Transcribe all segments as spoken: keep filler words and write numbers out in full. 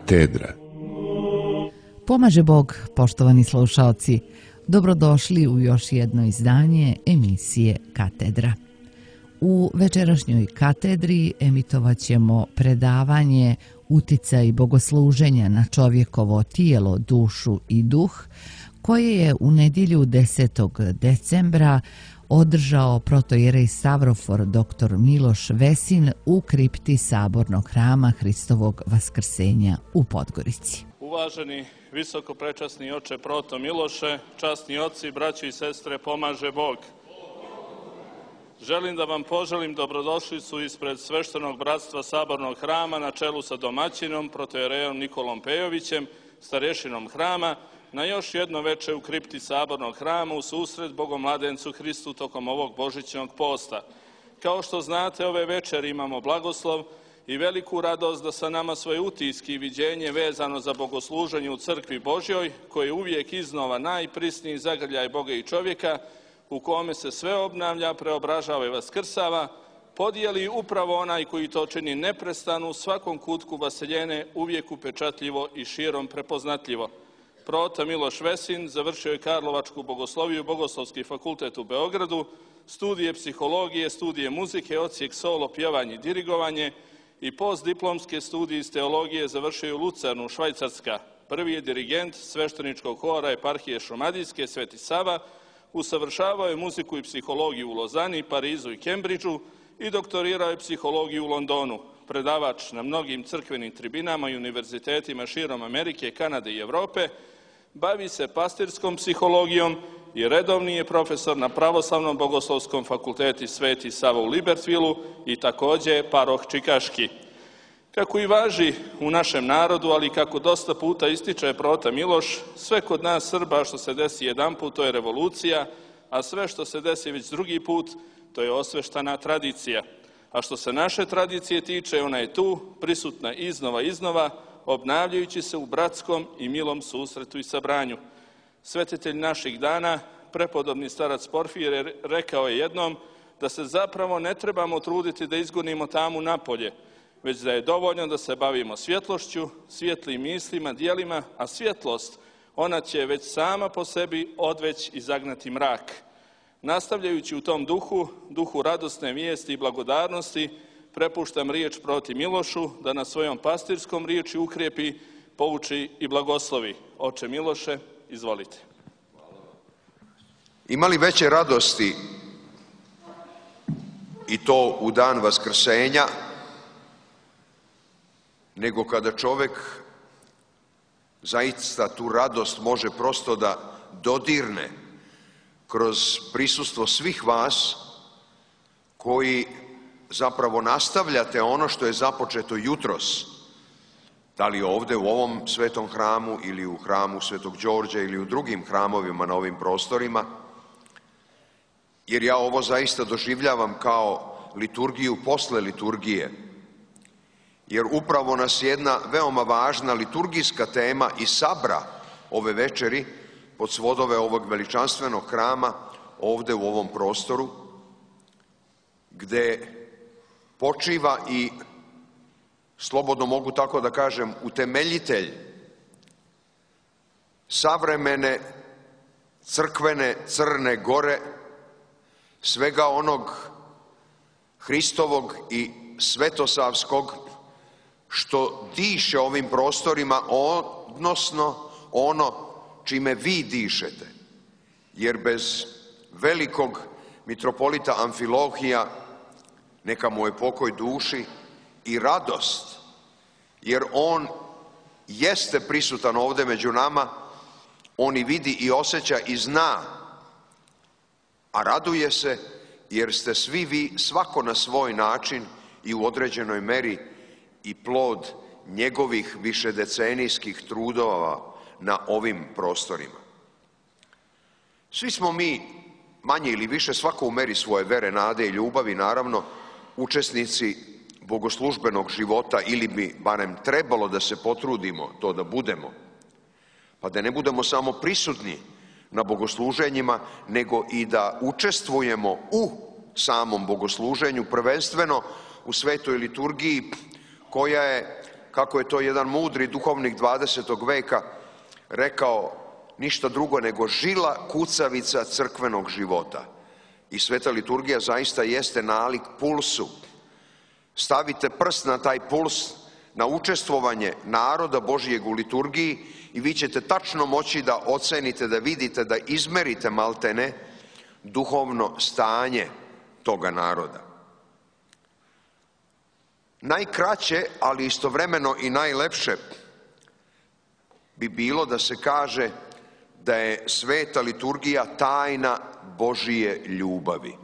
Katedra. Pomaže Bog, poštovani slušaoci. Dobrodošli u još jedno izdanje emisije Katedra. U večerašnjoj katedri emitovat ćemo predavanje Uticaj bogosluženja na čovjekovo tijelo, dušu i duh, koje je u nedjelju desetog decembra održao protoijerej Stavrofor dr Miloš Vesin u kripti Sabornog hrama Hristovog Vaskrsenja u Podgorici. Uvaženi visokoprečasni oče proto Miloše, časni oci, braći i sestre, pomaže Bog. Želim da vam poželim dobrodošlicu ispred sveštenog bratstva Sabornog hrama na čelu sa domaćinom, protoierejom Nikolom Pejovićem, starješinom hrama, na još jedno veče u kripti Sabornog hrama u susret Bogomladencu Hristu tokom ovog božićnog posta. Kao što znate, ove večeri imamo blagoslov i veliku radost da sa nama svoje utiske i viđenje vezano za bogosluženje u crkvi Božjoj, koji je uvijek iznova najprisniji zagrljaj Boga i čovjeka, u kome se sve obnavlja, preobražava i vaskrsava, podijeli upravo onaj koji to čini neprestano u svakom kutku vaseljene, uvijek upečatljivo i širom prepoznatljivo. Proto Miloš Vesin završio je Karlovačku bogosloviju, Bogoslovski fakultet u Beogradu, studije psihologije, studije muzike, odsjek solo, pjevanje i dirigovanje i postdiplomske studije iz teologije završio je u Lucernu, Švajcarska. Prvi je dirigent svešteničkog hora eparhije Šumadijske, Sveti Sava, usavršavao je muziku i psihologiju u Lozani, Parizu i Kembridžu i doktorirao je psihologiju u Londonu. Predavač na mnogim crkvenim tribinama i univerzitetima širom Amerike, Kanade i Evrope, bavi se pastirskom psihologijom i redovni je profesor na Pravoslavnom bogoslovskom fakulteti Sveti Sava u Libertvilu i također paroh čikaški. Kako i važi u našem narodu, ali kako dosta puta ističe prota Miloš, sve kod nas Srba što se desi jedan put, to je revolucija, a sve što se desi već drugi put, to je osveštana tradicija. A što se naše tradicije tiče, ona je tu, prisutna iznova iznova, obnavljajući se u bratskom i milom susretu i sabranju. Svetitelj naših dana, prepodobni starac Porfirije, rekao je jednom da se zapravo ne trebamo truditi da izgonimo tamu napolje, već da je dovoljno da se bavimo svjetlošću, svjetlim mislima, dijelima, a svjetlost, ona će već sama po sebi odveć i zagnati mrak. Nastavljajući u tom duhu, duhu radosne vijesti i blagodarnosti, prepuštam riječ proti Milošu da na svojom pastirskom riječi ukrijepi, pouči i blagoslovi. Oče Miloše, izvolite. Ima li veće radosti i to u dan Vaskrsenja, nego kada čovjek zaista tu radost može prosto da dodirne kroz prisustvo svih vas koji zapravo nastavljate ono što je započeto jutros, da li ovdje u ovom svetom hramu ili u hramu Svetog Đorđa ili u drugim hramovima na ovim prostorima, jer ja ovo zaista doživljavam kao liturgiju posle liturgije, jer upravo nas jedna veoma važna liturgijska tema i sabra ove večeri pod svodove ovog veličanstvenog hrama ovdje u ovom prostoru, gdje počiva i, slobodno mogu tako da kažem, utemeljitelj savremene crkvene Crne Gore, svega onog Hristovog i svetosavskog što diše ovim prostorima, odnosno ono čime vi dišete. Jer bez velikog mitropolita Amfilohija, neka mu je pokoj duši, i radost, jer on jeste prisutan ovdje među nama, on i vidi i osjeća i zna, a raduje se jer ste svi vi, svako na svoj način i u određenoj meri, i plod njegovih višedecenijskih trudova na ovim prostorima. Svi smo mi, manje ili više, svako u meri svoje vere, nade i ljubavi, naravno, učesnici bogoslužbenog života, ili bi barem trebalo da se potrudimo to da budemo, pa da ne budemo samo prisutni na bogosluženjima, nego i da učestvujemo u samom bogosluženju, prvenstveno u svetoj liturgiji, koja je kako je to jedan mudri duhovnik dvadesetog veka rekao, ništa drugo nego žila kucavica crkvenog života. I sveta liturgija zaista jeste nalik pulsu. Stavite prst na taj puls, na učestvovanje naroda Božijeg u liturgiji i vi ćete tačno moći da ocenite, da vidite, da izmerite maltene duhovno stanje toga naroda. Najkraće, ali istovremeno i najlepše bi bilo da se kaže da je sveta liturgija tajna Božije ljubavi.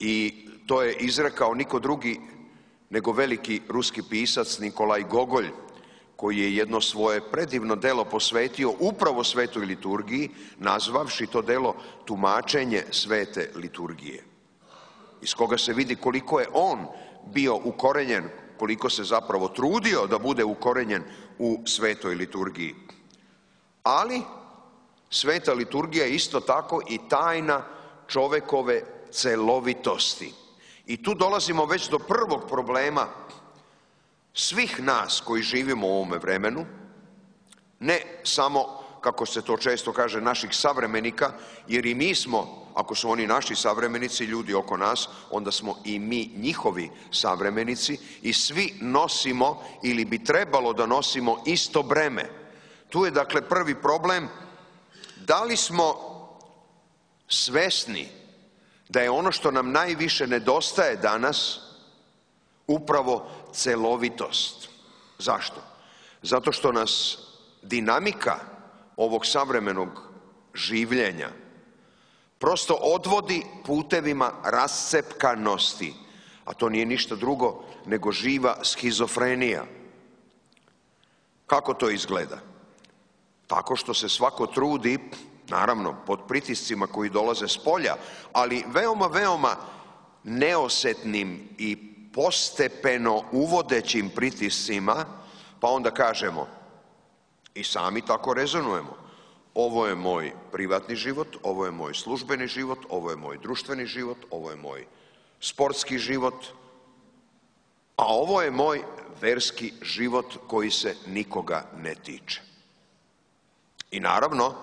I to je izrekao niko drugi nego veliki ruski pisac Nikolaj Gogolj, koji je jedno svoje predivno delo posvetio upravo svetoj liturgiji, nazvavši to delo Tumačenje svete liturgije, iz koga se vidi koliko je on bio ukorenjen, koliko se zapravo trudio da bude ukorenjen u svetoj liturgiji. Ali sveta liturgija je isto tako i tajna čovekove celovitosti. I tu dolazimo već do prvog problema svih nas koji živimo u ovome vremenu, ne samo, kako se to često kaže, naših savremenika, jer i mi smo, ako su oni naši savremenici, ljudi oko nas, onda smo i mi njihovi savremenici i svi nosimo ili bi trebalo da nosimo isto breme. Tu je dakle prvi problem, da li smo svesni da je ono što nam najviše nedostaje danas upravo celovitost. Zašto? Zato što nas dinamika ovog savremenog življenja prosto odvodi putevima rascepkanosti, a to nije ništa drugo nego živa schizofrenija. Kako to izgleda? Tako što se svako trudi, naravno pod pritiscima koji dolaze s polja, ali veoma, veoma neosetnim i postepeno uvodećim pritiscima, pa onda kažemo, i sami tako rezonujemo, ovo je moj privatni život, ovo je moj službeni život, ovo je moj društveni život, ovo je moj sportski život, a ovo je moj verski život koji se nikoga ne tiče. I naravno,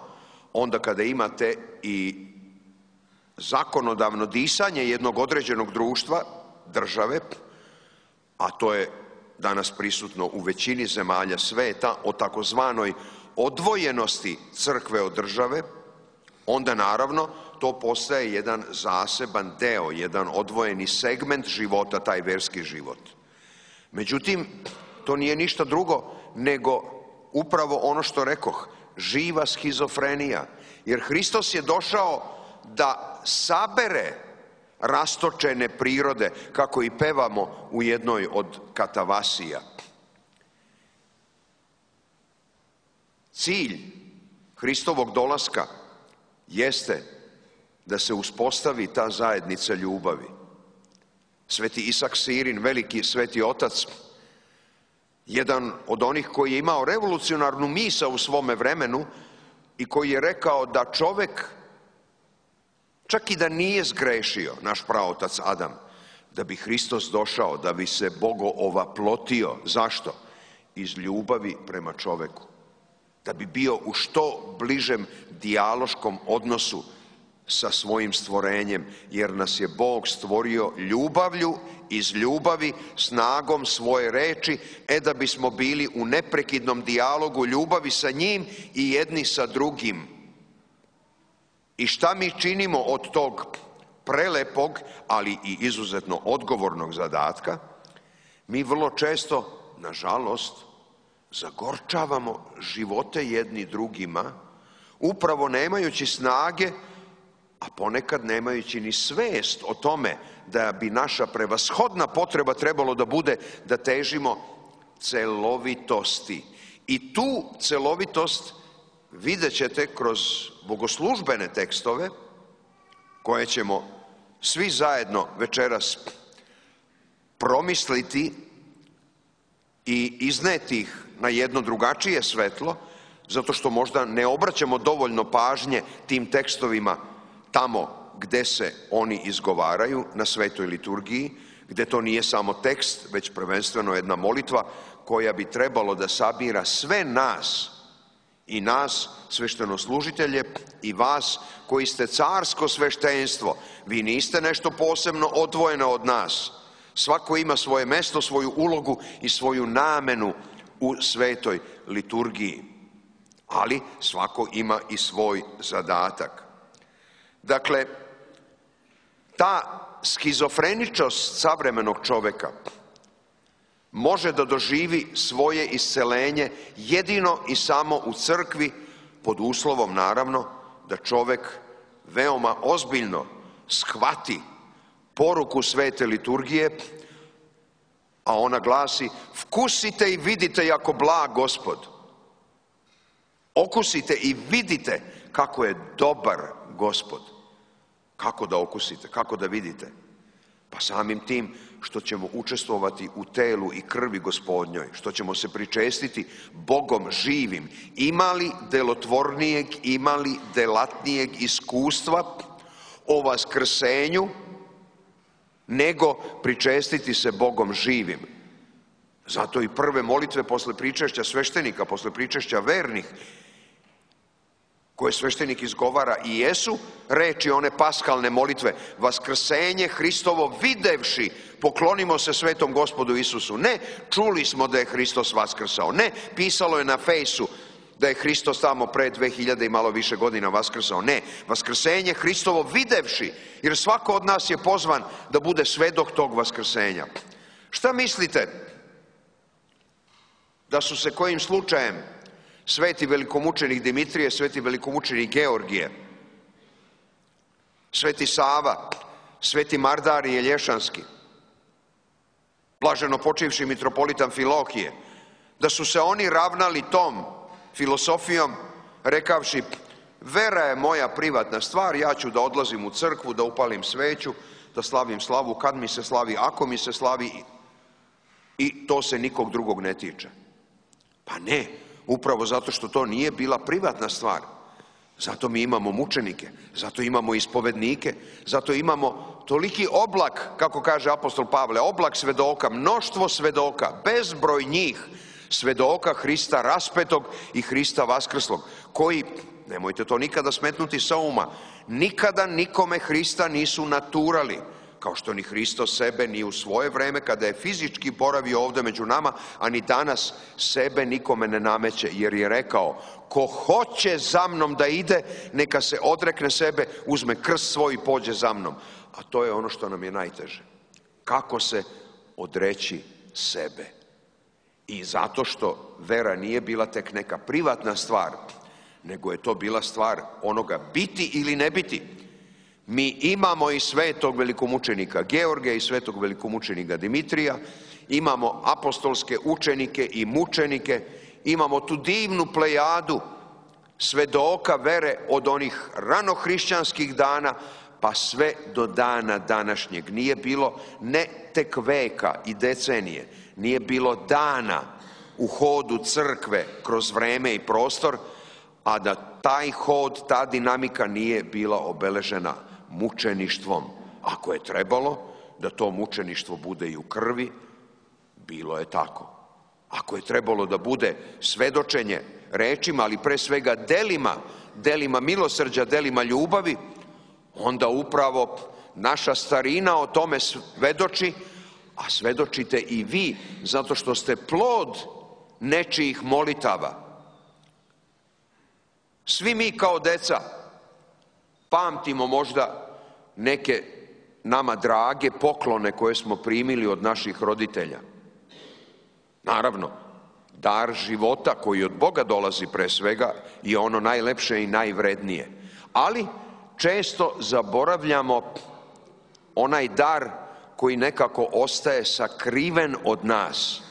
onda kada imate i zakonodavno disanje jednog određenog društva, države, a to je danas prisutno u većini zemalja sveta, o takozvanoj odvojenosti crkve od države, onda naravno to postaje jedan zaseban deo, jedan odvojeni segment života, taj verski život. Međutim, to nije ništa drugo nego upravo ono što rekoh, živa schizofrenija, jer Hristos je došao da sabere rastočene prirode, kako i pevamo u jednoj od katavasija. Cilj Hristovog dolaska jeste da se uspostavi ta zajednica ljubavi. Sveti Isak Sirin, veliki sveti otac, jedan od onih koji je imao revolucionarnu misao u svome vremenu i koji je rekao da čovek, čak i da nije zgrešio, naš praotac Adam, da bi Hristos došao, da bi se Bogo ovaplotio. Zašto? Iz ljubavi prema čoveku. Da bi bio u što bližem dijaloškom odnosu sa svojim stvorenjem, jer nas je Bog stvorio ljubavlju, iz ljubavi, snagom svoje reči, e da bismo bili u neprekidnom dijalogu ljubavi sa njim i jedni sa drugim. I šta mi činimo od tog prelepog, ali i izuzetno odgovornog zadatka? Mi vrlo često, nažalost, zagorčavamo živote jedni drugima, upravo nemajući snage, a ponekad nemajući ni svest o tome da bi naša prevashodna potreba trebalo da bude da težimo celovitosti. I tu celovitost vidjet ćete kroz bogoslužbene tekstove koje ćemo svi zajedno večeras promisliti i izneti ih na jedno drugačije svetlo, zato što možda ne obraćamo dovoljno pažnje tim tekstovima tamo gde se oni izgovaraju na svetoj liturgiji, gdje to nije samo tekst, već prvenstveno jedna molitva koja bi trebalo da sabira sve nas, i nas sveštenoslужitelje i vas koji ste carsko sveštenstvo. Vi niste nešto posebno odvojeno od nas. Svako ima svoje mesto, svoju ulogu i svoju namenu u svetoj liturgiji. Ali svako ima i svoj zadatak. Dakle, ta skizofreničnost savremenog čoveka može da doživi svoje iscelenje jedino i samo u crkvi, pod uslovom naravno da čovek veoma ozbiljno shvati poruku svete liturgije, a ona glasi: vkusite i vidite jako blag Gospod. Okusite i vidite kako je dobar Gospod. Kako da okusite, kako da vidite? Pa samim tim što ćemo učestvovati u telu i krvi Gospodnjoj, što ćemo se pričestiti Bogom živim. Ima li delotvornijeg, ima li delatnijeg iskustva o vaskrsenju nego pričestiti se Bogom živim? Zato i prve molitve posle pričešća sveštenika, posle pričešća vernih, koje sveštenik izgovara, i jesu reči one paskalne molitve: vaskrsenje Hristovo videvši, poklonimo se svetom Gospodu Isusu. Ne, čuli smo da je Hristos vaskrsao. Ne, pisalo je na fejsu da je Hristos tamo pre dve hiljade i malo više godina vaskrsao. Ne, vaskrsenje Hristovo videvši, jer svako od nas je pozvan da bude svedok tog vaskrsenja. Šta mislite da su se kojim slučajem sveti velikomučenik Dimitrije, sveti velikomučenik Georgije, sveti Sava, sveti Mardarije Lješanski, blaženo počivši mitropolita Amfilohije, da su se oni ravnali tom filosofijom rekavši: vera je moja privatna stvar, ja ću da odlazim u crkvu, da upalim sveću, da slavim slavu kad mi se slavi, ako mi se slavi, i to se nikog drugog ne tiče. Pa ne, upravo zato što to nije bila privatna stvar. Zato mi imamo mučenike, zato imamo ispovednike, zato imamo toliki oblak, kako kaže apostol Pavle, oblak svedoka, mnoštvo svedoka, bezbroj njih, svedoka Hrista raspetog i Hrista vaskrslog, koji, nemojte to nikada smetnuti sa uma, nikada nikome Hrista nisu naturali, kao što ni Hristos sebe ni u svoje vreme kada je fizički boravio ovdje među nama, a ni danas sebe nikome ne nameće, jer je rekao: ko hoće za mnom da ide, neka se odrekne sebe, uzme krst svoj i pođe za mnom. A to je ono što nam je najteže. Kako se odreći sebe? I zato što vera nije bila tek neka privatna stvar, nego je to bila stvar onoga biti ili ne biti. Mi imamo i svetog velikomučenika Georgija i svetog velikomučenika Dimitrija, imamo apostolske učenike i mučenike, imamo tu divnu plejadu svedoka vere od onih ranohrišćanskih dana pa sve do dana današnjeg. Nije bilo ne tek veka i decenije, nije bilo dana u hodu crkve kroz vreme i prostor, a da taj hod, ta dinamika nije bila obeležena mučeništvom. Ako je trebalo da to mučeništvo bude i u krvi, bilo je tako. Ako je trebalo da bude svedočenje rečima, ali pre svega delima, delima milosrđa, delima ljubavi, onda upravo naša starina o tome svedoči, a svedočite i vi, zato što ste plod nečijih molitava. Svi mi kao deca pamtimo možda neke nama drage poklone koje smo primili od naših roditelja. Naravno, dar života koji od Boga dolazi pre svega je ono najlepše i najvrednije. Ali često zaboravljamo onaj dar koji nekako ostaje sakriven od nas.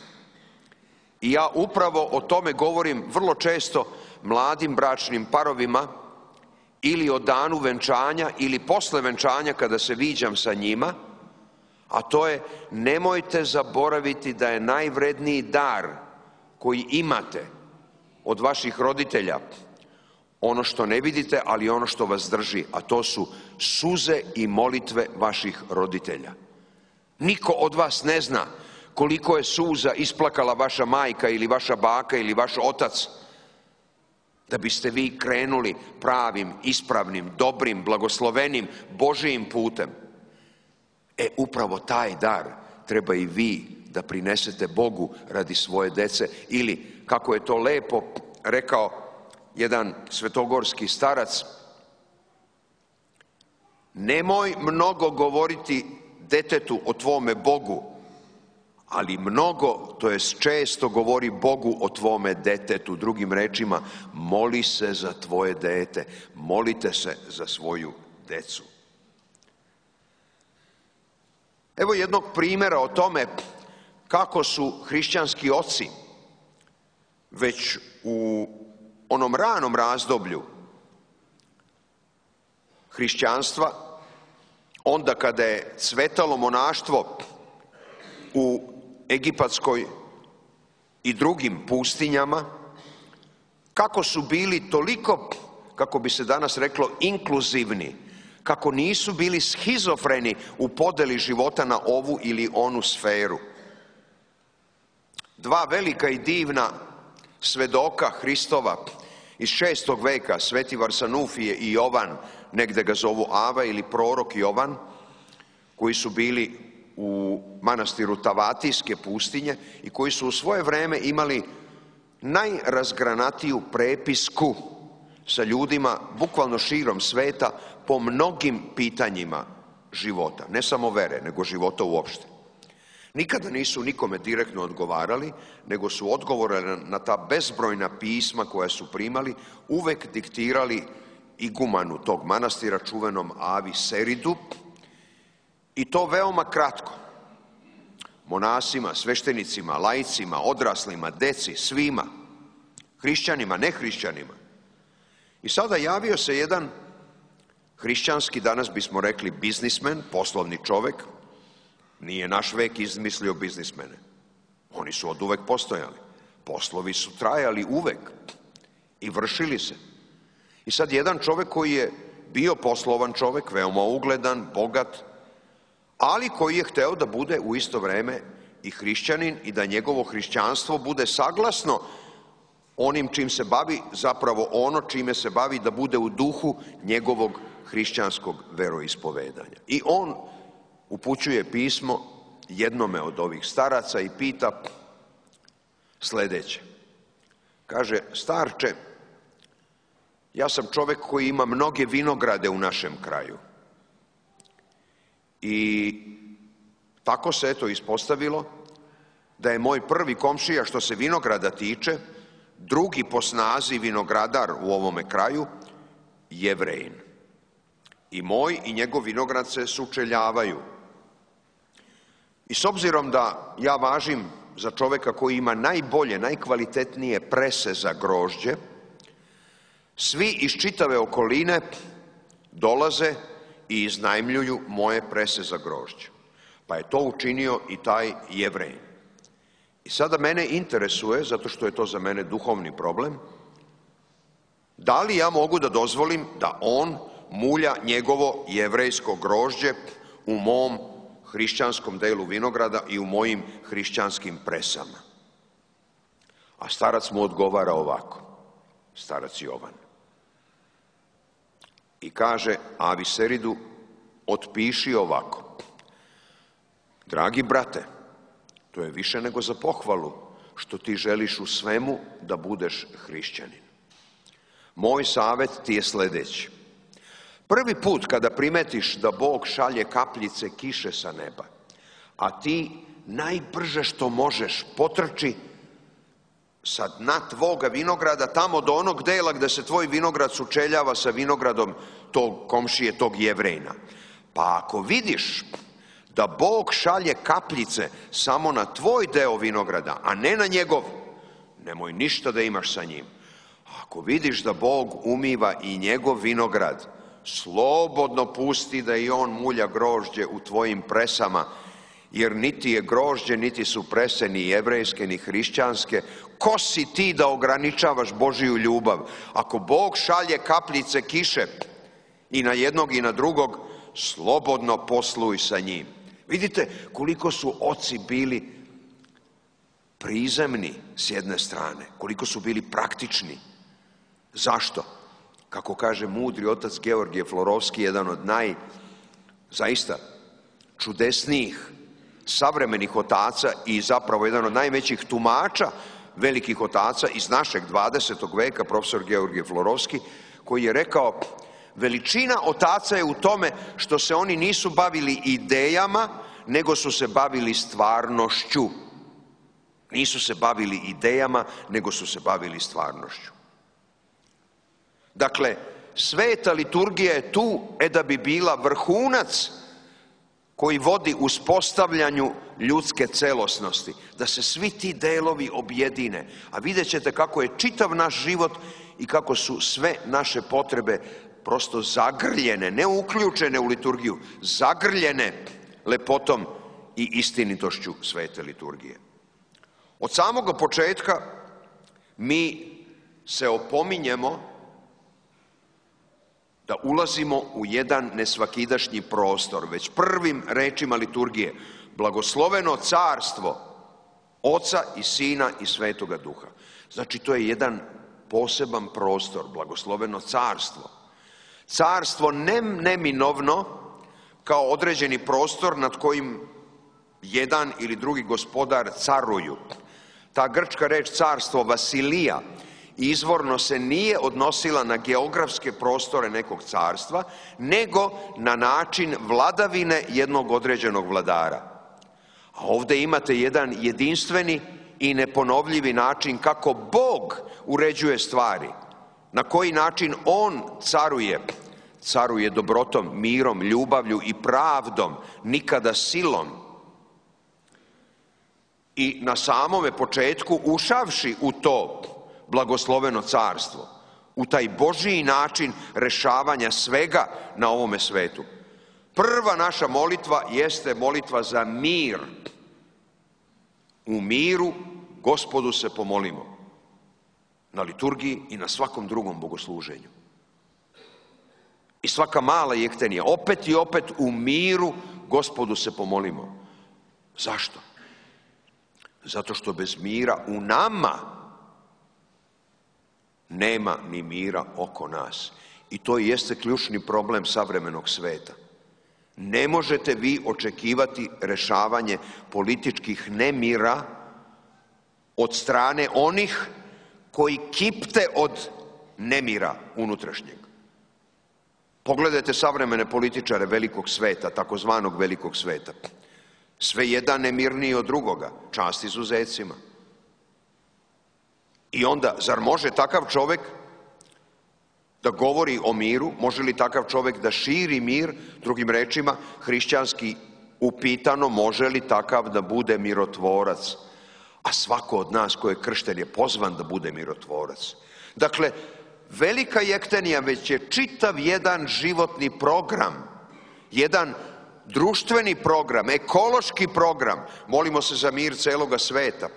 I ja upravo o tome govorim vrlo često mladim bračnim parovima, ili o danu venčanja ili posle venčanja kada se viđam sa njima, a to je: nemojte zaboraviti da je najvredniji dar koji imate od vaših roditelja ono što ne vidite, ali ono što vas drži, a to su suze i molitve vaših roditelja. Niko od vas ne zna koliko je suza isplakala vaša majka ili vaša baka ili vaš otac da biste vi krenuli pravim, ispravnim, dobrim, blagoslovenim, Božijim putem. E, upravo taj dar treba i vi da prinesete Bogu radi svoje dece. Ili, kako je to lepo rekao jedan svetogorski starac, nemoj mnogo govoriti detetu o tvome Bogu, ali mnogo, to jest često govori Bogu o tvome detetu. Drugim rečima, moli se za tvoje dete, molite se za svoju decu. Evo jednog primjera o tome kako su hrišćanski oci već u onom ranom razdoblju hrišćanstva, onda kada je cvetalo monaštvo u Egipatskoj i drugim pustinjama, kako su bili toliko, kako bi se danas reklo, inkluzivni, kako nisu bili schizofreni u podeli života na ovu ili onu sferu. Dva velika i divna svedoka Hristova iz šestog veka, Sveti Varsanufije i Jovan, negde ga zovu Ava ili prorok Jovan, koji su bili u manastiru Tavatijske pustinje i koji su u svoje vreme imali najrazgranatiju prepisku sa ljudima bukvalno širom sveta po mnogim pitanjima života, ne samo vere, nego života uopšte. Nikada nisu nikome direktno odgovarali, nego su odgovore na ta bezbrojna pisma koja su primali uvek diktirali igumanu tog manastira, čuvenom Avi Seridu, i to veoma kratko. Monasima, sveštenicima, laicima, odraslima, deci, svima, hrišćanima, nehrišćanima. I sada javio se jedan hrišćanski, danas bismo rekli biznismen, poslovni čovek. Nije naš vek izmislio biznismene. Oni su od uvek postojali. Poslovi su trajali uvek i vršili se. I sad jedan čovek koji je bio poslovan čovek, veoma ugledan, bogat, ali koji je hteo da bude u isto vreme i hrišćanin i da njegovo hrišćanstvo bude saglasno onim čim se bavi, zapravo ono čime se bavi, da bude u duhu njegovog hrišćanskog veroispovedanja. I on upućuje pismo jednome od ovih staraca i pita sledeće. Kaže, starče, ja sam čovek koji ima mnoge vinograde u našem kraju. I tako se eto ispostavilo da je moj prvi komšija što se vinograda tiče, drugi po snazi vinogradar u ovome kraju, Jevrejin. I moj i njegov vinograd se sučeljavaju. I s obzirom da ja važim za čoveka koji ima najbolje, najkvalitetnije prese za grožđe, svi iz čitave okoline dolaze i iznajmljuju moje prese za grožđe. Pa je to učinio i taj Jevrejin. I sada mene interesuje, zato što je to za mene duhovni problem, da li ja mogu da dozvolim da on mulja njegovo jevrejsko grožđe u mom hrišćanskom delu vinograda i u mojim hrišćanskim presama. A starac mu odgovara ovako, starac Jovan. I kaže Avi Seridu, otpiši ovako. Dragi brate, to je više nego za pohvalu što ti želiš u svemu da budeš hrišćanin. Moj savjet ti je sledeći. Prvi put kada primetiš da Bog šalje kapljice kiše sa neba, a ti najbrže što možeš potrči sa dna tvoga vinograda tamo do onog dela gde se tvoj vinograd sučeljava sa vinogradom tog komšije, tog Jevrejna. Pa ako vidiš da Bog šalje kapljice samo na tvoj deo vinograda, a ne na njegov, nemoj ništa da imaš sa njim. Ako vidiš da Bog umiva i njegov vinograd, slobodno pusti da i on mulja grožđe u tvojim presama, jer niti je grožđe, niti su prese ni jevrejske, ni hrišćanske. Ko si ti da ograničavaš Božiju ljubav? Ako Bog šalje kapljice kiše i na jednog i na drugog, slobodno posluj sa njim. Vidite koliko su oci bili prizemni s jedne strane, koliko su bili praktični. Zašto? Kako kaže mudri otac Georgije Florovski, jedan od naj, zaista, čudesnijih savremenih otaca i zapravo jedan od najvećih tumača velikih otaca iz našeg dvadesetog veka, profesor Georgije Florovski, koji je rekao: veličina otaca je u tome što se oni nisu bavili idejama, nego su se bavili stvarnošću. Nisu se bavili idejama, nego su se bavili stvarnošću. Dakle, sveta liturgija je tu e da bi bila vrhunac koji vodi uspostavljanju ljudske celosnosti, da se svi ti delovi objedine. A vidjet ćete kako je čitav naš život i kako su sve naše potrebe prosto zagrljene, ne uključene u liturgiju, zagrljene lepotom i istinitošću svete liturgije. Od samoga početka mi se opominjemo da ulazimo u jedan nesvakidašnji prostor, već prvim rečima liturgije: blagosloveno carstvo Oca i Sina i Svetoga Duha. Znači, to je jedan poseban prostor, blagosloveno carstvo. Carstvo ne neminovno kao određeni prostor nad kojim jedan ili drugi gospodar caruju. Ta grčka reč carstvo, Vasilija, izvorno se nije odnosila na geografske prostore nekog carstva, nego na način vladavine jednog određenog vladara. A ovdje imate jedan jedinstveni i neponovljivi način kako Bog uređuje stvari. Na koji način On caruje? Caruje dobrotom, mirom, ljubavlju i pravdom, nikada silom. I na samome početku, ušavši u to blagosloveno carstvo, u taj Božji način rešavanja svega na ovome svetu, prva naša molitva jeste molitva za mir. U miru Gospodu se pomolimo, na liturgiji i na svakom drugom bogosluženju. I svaka mala jektenija, opet i opet u miru Gospodu se pomolimo. Zašto? Zato što bez mira u nama nema ni mira oko nas. I to jeste ključni problem savremenog sveta. Ne možete vi očekivati rešavanje političkih nemira od strane onih koji kipte od nemira unutrašnjeg. Pogledajte savremene političare velikog sveta, takozvanog velikog sveta. Sve jedan nemirniji od drugoga, čast izuzecima. I onda, zar može takav čovjek da govori o miru? Može li takav čovjek da širi mir? Drugim rečima, hrišćanski upitano, može li takav da bude mirotvorac? A svako od nas ko je kršten je pozvan da bude mirotvorac. Dakle, velika jektenija već je čitav jedan životni program, jedan društveni program, ekološki program. Molimo se za mir celoga sveta.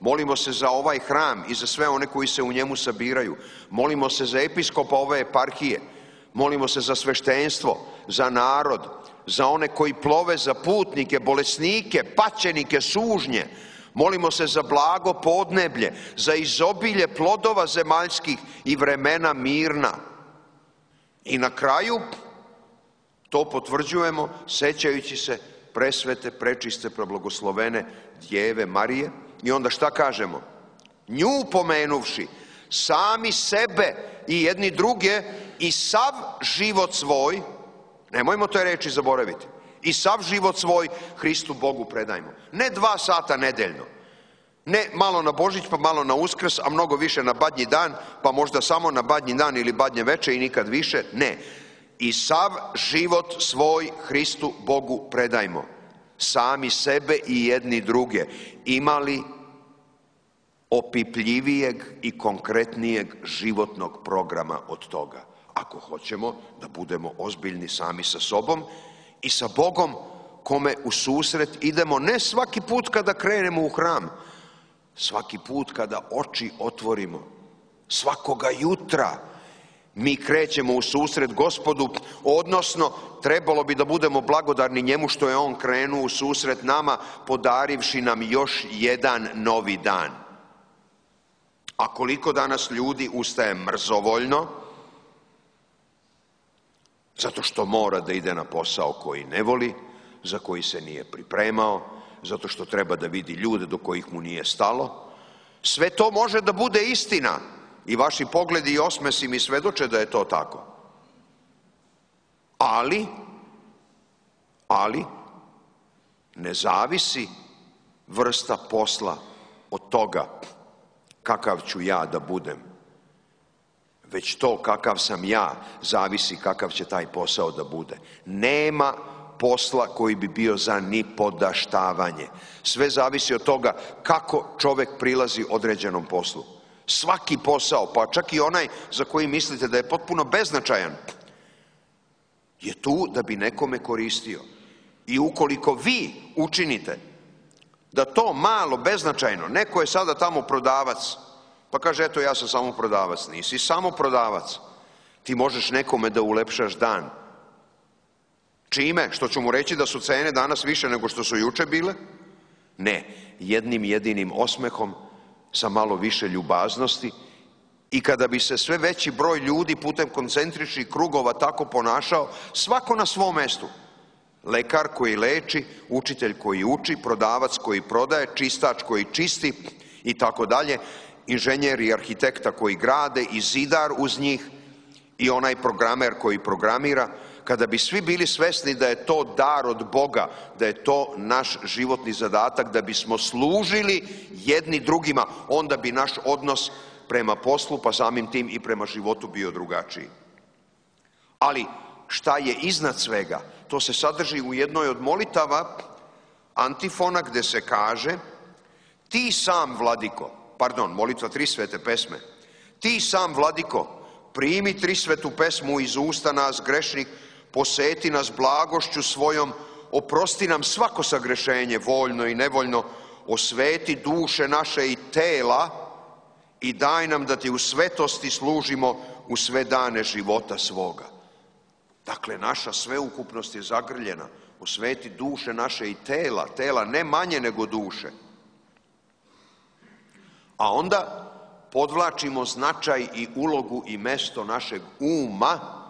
Molimo se za ovaj hram i za sve one koji se u njemu sabiraju. Molimo se za episkopa ove eparhije. Molimo se za sveštenstvo, za narod, za one koji plove, za putnike, bolesnike, paćenike, sužnje. Molimo se za blago podneblje, za izobilje plodova zemaljskih i vremena mirna. I na kraju to potvrđujemo sećajući se presvete, prečiste, preblagoslovene Djeve Marije. I onda šta kažemo? Nju pomenuvši, sami sebe i jedni druge i sav život svoj, nemojmo te reči zaboraviti, i sav život svoj Hristu Bogu predajmo. Ne dva sata nedeljno, ne malo na Božić pa malo na Uskrs, a mnogo više na Badnji dan, pa možda samo na Badnji dan ili Badnje veče i nikad više. Ne, i sav život svoj Hristu Bogu predajmo. Sami sebe i jedni druge. Imali opipljivijeg i konkretnijeg životnog programa od toga? Ako hoćemo da budemo ozbiljni sami sa sobom i sa Bogom kome u susret idemo ne svaki put kada krenemo u hram, svaki put kada oči otvorimo, svakoga jutra, Mi krećemo u susret Gospodu, odnosno trebalo bi da budemo blagodarni njemu što je on krenuo u susret nama, podarivši nam još jedan novi dan. A koliko danas ljudi ustaje mrzovoljno, zato što mora da ide na posao koji ne voli, za koji se nije pripremao, zato što treba da vidi ljude do kojih mu nije stalo. Sve to može da bude istina i vaši pogledi i osmesi mi svedoče da je to tako. Ali, ali, ne zavisi vrsta posla od toga kakav ću ja da budem, već to kakav sam ja zavisi kakav će taj posao da bude. Nema posla koji bi bio za nipodaštavanje. Sve zavisi od toga kako čovek prilazi određenom poslu. Svaki posao, pa čak i onaj za koji mislite da je potpuno beznačajan, je tu da bi nekome koristio. I ukoliko vi učinite da to malo, beznačajno, neko je sada tamo prodavac, pa kaže, eto, ja sam samo prodavac. Nisi samo prodavac. Ti možeš nekome da ulepšaš dan. Čime? Što ću mu reći da su cene danas više nego što su juče bile? Ne. Jednim jedinim osmehom, sa malo više ljubaznosti, i kada bi se sve veći broj ljudi putem koncentričnih krugova tako ponašao, svako na svom mestu. Lekar koji leči, učitelj koji uči, prodavac koji prodaje, čistač koji čisti i tako dalje, inženjer i arhitekta koji grade i zidar uz njih i onaj programer koji programira. Kada bi svi bili svesni da je to dar od Boga, da je to naš životni zadatak, da bismo služili jedni drugima, onda bi naš odnos prema poslu, pa samim tim i prema životu bio drugačiji. Ali šta je iznad svega? To se sadrži u jednoj od molitava antifona gde se kaže: ti sam, Vladiko, pardon, molitva tri svete pesme, ti sam, Vladiko, primi tri svetu pesmu iz usta nas grešnih, poseti nas blagošću svojom, oprosti nam svako sagrešenje, voljno i nevoljno, osveti duše naše i tela i daj nam da ti u svetosti služimo u sve dane života svoga. Dakle, naša sveukupnost je zagrljena. Osveti duše naše i tela, tela ne manje nego duše. A onda podvlačimo značaj i ulogu i mesto našeg uma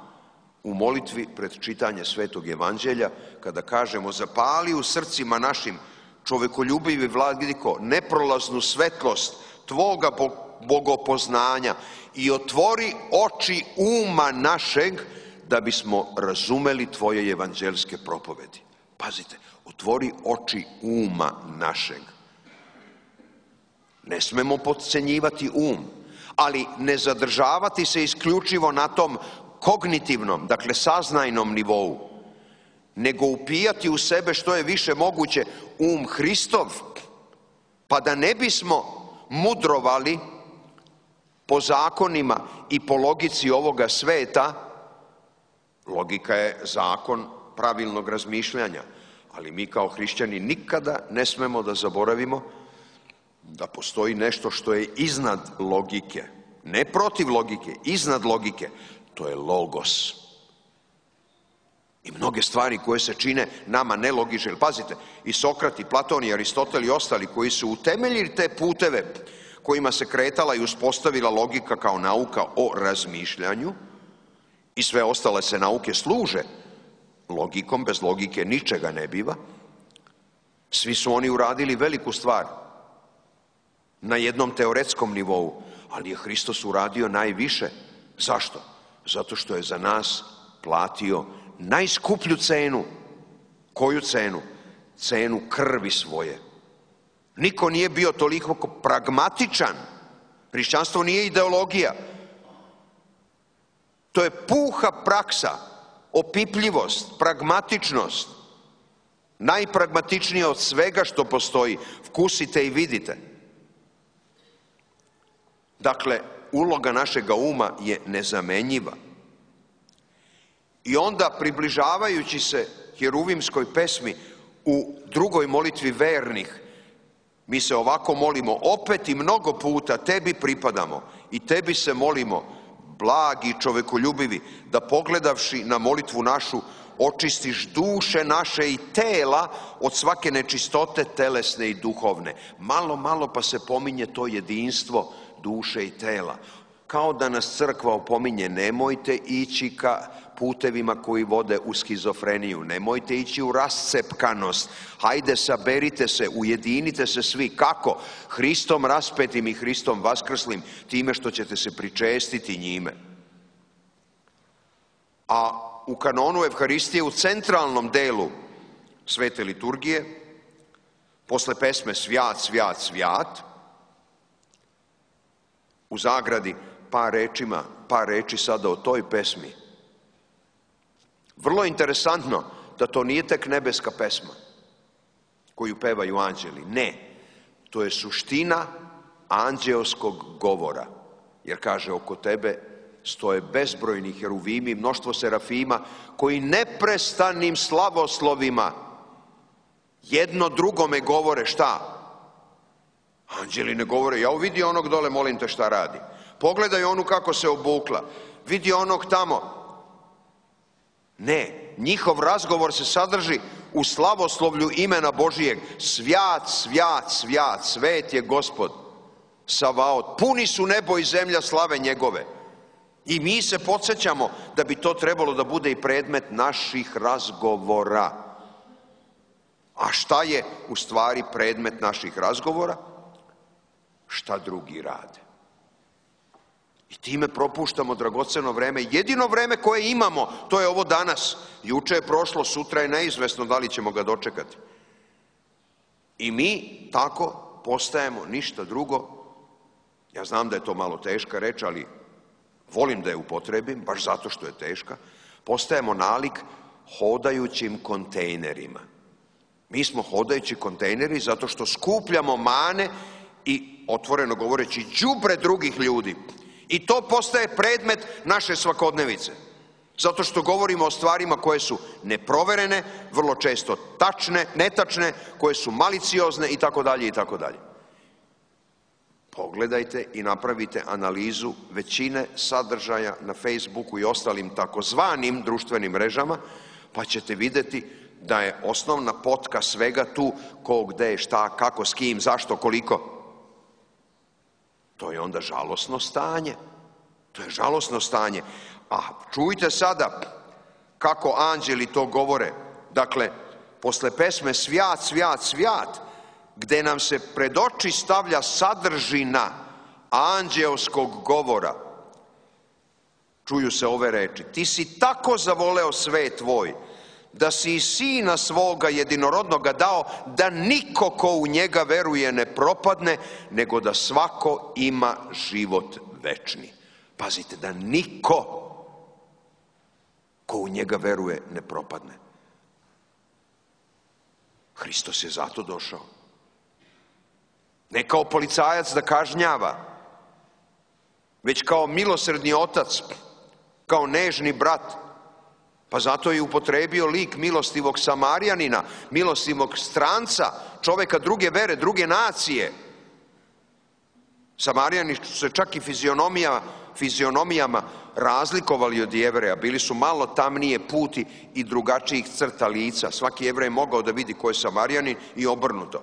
u molitvi pred čitanje Svetog evanđelja, kada kažemo: zapali u srcima našim, čovekoljubivi Vladiko, neprolaznu svetlost tvoga bogopoznanja i otvori oči uma našeg da bismo razumeli tvoje evanđelske propovedi. Pazite, otvori oči uma našeg. Ne smemo potcenjivati um, ali ne zadržavati se isključivo na tom kognitivnom, dakle saznajnom nivou, nego upijati u sebe što je više moguće um Hristov, pa da ne bismo mudrovali po zakonima i po logici ovoga sveta. Logika je zakon pravilnog razmišljanja, ali mi kao hrišćani nikada ne smemo da zaboravimo da postoji nešto što je iznad logike, ne protiv logike, iznad logike. To je logos. I mnoge stvari koje se čine nama nelogične. Pazite, i Sokrat, i Platon, i Aristotel i ostali koji su utemeljili te puteve kojima se kretala i uspostavila logika kao nauka o razmišljanju, i sve ostale se nauke služe logikom, bez logike ničega ne biva. Svi su oni uradili veliku stvar na jednom teoretskom nivou, ali je Hristos uradio najviše. Zašto? Zato što je za nas platio najskuplju cenu. Koju cenu? Cenu krvi svoje. Niko nije bio toliko pragmatičan. Hrišćanstvo nije ideologija. To je puha praksa, opipljivost, pragmatičnost. Najpragmatičnije od svega što postoji. Vkusite i vidite. Dakle, uloga našega uma je nezamenjiva. I onda, približavajući se heruvimskoj pesmi u drugoj molitvi vernih, mi se ovako molimo: opet i mnogo puta tebi pripadamo i tebi se molimo: blagi i čovekoljubivi, da pogledavši na molitvu našu, očistiš duše naše i tela od svake nečistote telesne i duhovne. Malo, malo pa se pominje to jedinstvo duše i tela. Kao da nas crkva opominje, nemojte ići ka putevima koji vode u skizofreniju, nemojte ići u rascepkanost, hajde saberite se, ujedinite se svi. Kako? Hristom raspetim i Hristom vaskrslim, time što ćete se pričestiti njime. A u kanonu Evharistije, u centralnom delu svete liturgije, posle pesme Svjat, svjat, svjat, u zagradi par rečima, par reči sada o toj pesmi. Vrlo interesantno da to nije tek nebeska pesma koju pevaju anđeli. Ne, to je suština anđeoskog govora. Jer kaže, oko tebe stoje bezbrojni heruvimi, mnoštvo serafima, koji neprestanim slavoslovima jedno drugome govore šta? Anđeli ne govore, ja vidi onog dole, molim te šta radi. Pogledaj onu kako se obukla, vidi onog tamo. Ne, njihov razgovor se sadrži u slavoslovlju imena Božijeg. Svjat, svjat, svjat, svet je Gospod Savaot. Puni su nebo i zemlja slave njegove. I mi se podsjećamo da bi to trebalo da bude i predmet naših razgovora. A šta je u stvari predmet naših razgovora? Šta drugi rade. I time propuštamo dragoceno vreme. Jedino vreme koje imamo, to je ovo danas. Juče je prošlo, sutra je neizvesno da li ćemo ga dočekati. I mi tako postajemo ništa drugo. Ja znam da je to malo teška reč, ali volim da je upotrebim, baš zato što je teška. Postajemo nalik hodajućim kontejnerima. Mi smo hodajući kontejneri zato što skupljamo mane i, otvoreno govoreći, đubre drugih ljudi. I to postaje predmet naše svakodnevice. Zato što govorimo o stvarima koje su neproverene, vrlo često tačne, netačne, koje su maliciozne i tako dalje i tako dalje. Pogledajte i napravite analizu većine sadržaja na Facebooku i ostalim takozvanim društvenim mrežama, pa ćete vidjeti da je osnovna potka svega tu ko, gde, šta, kako, s kim, zašto, koliko. To je onda žalosno stanje. To je žalosno stanje. A čujte sada kako anđeli to govore. Dakle, posle pesme Svjat, svjat, svjat, gde nam se pred oči stavlja sadržina anđeoskog govora, čuju se ove reči. Ti si tako zavoleo svet tvoj, da si i sina svoga jedinorodnoga dao, da niko ko u njega veruje ne propadne, nego da svako ima život večni. Pazite, da niko ko u njega veruje ne propadne. Hristos je zato došao. Ne kao policajac da kažnjava, već kao milosrdni otac, kao nežni brat. Pa zato je upotrebio lik milostivog Samarijanina, milostivog stranca, čoveka druge vere, druge nacije. Samarijani su se čak i fizionomija, fizionomijama razlikovali od Jevreja. Bili su malo tamnije puti i drugačijih crta lica. Svaki Jevrej je mogao da vidi ko je Samarijanin i obrnuto.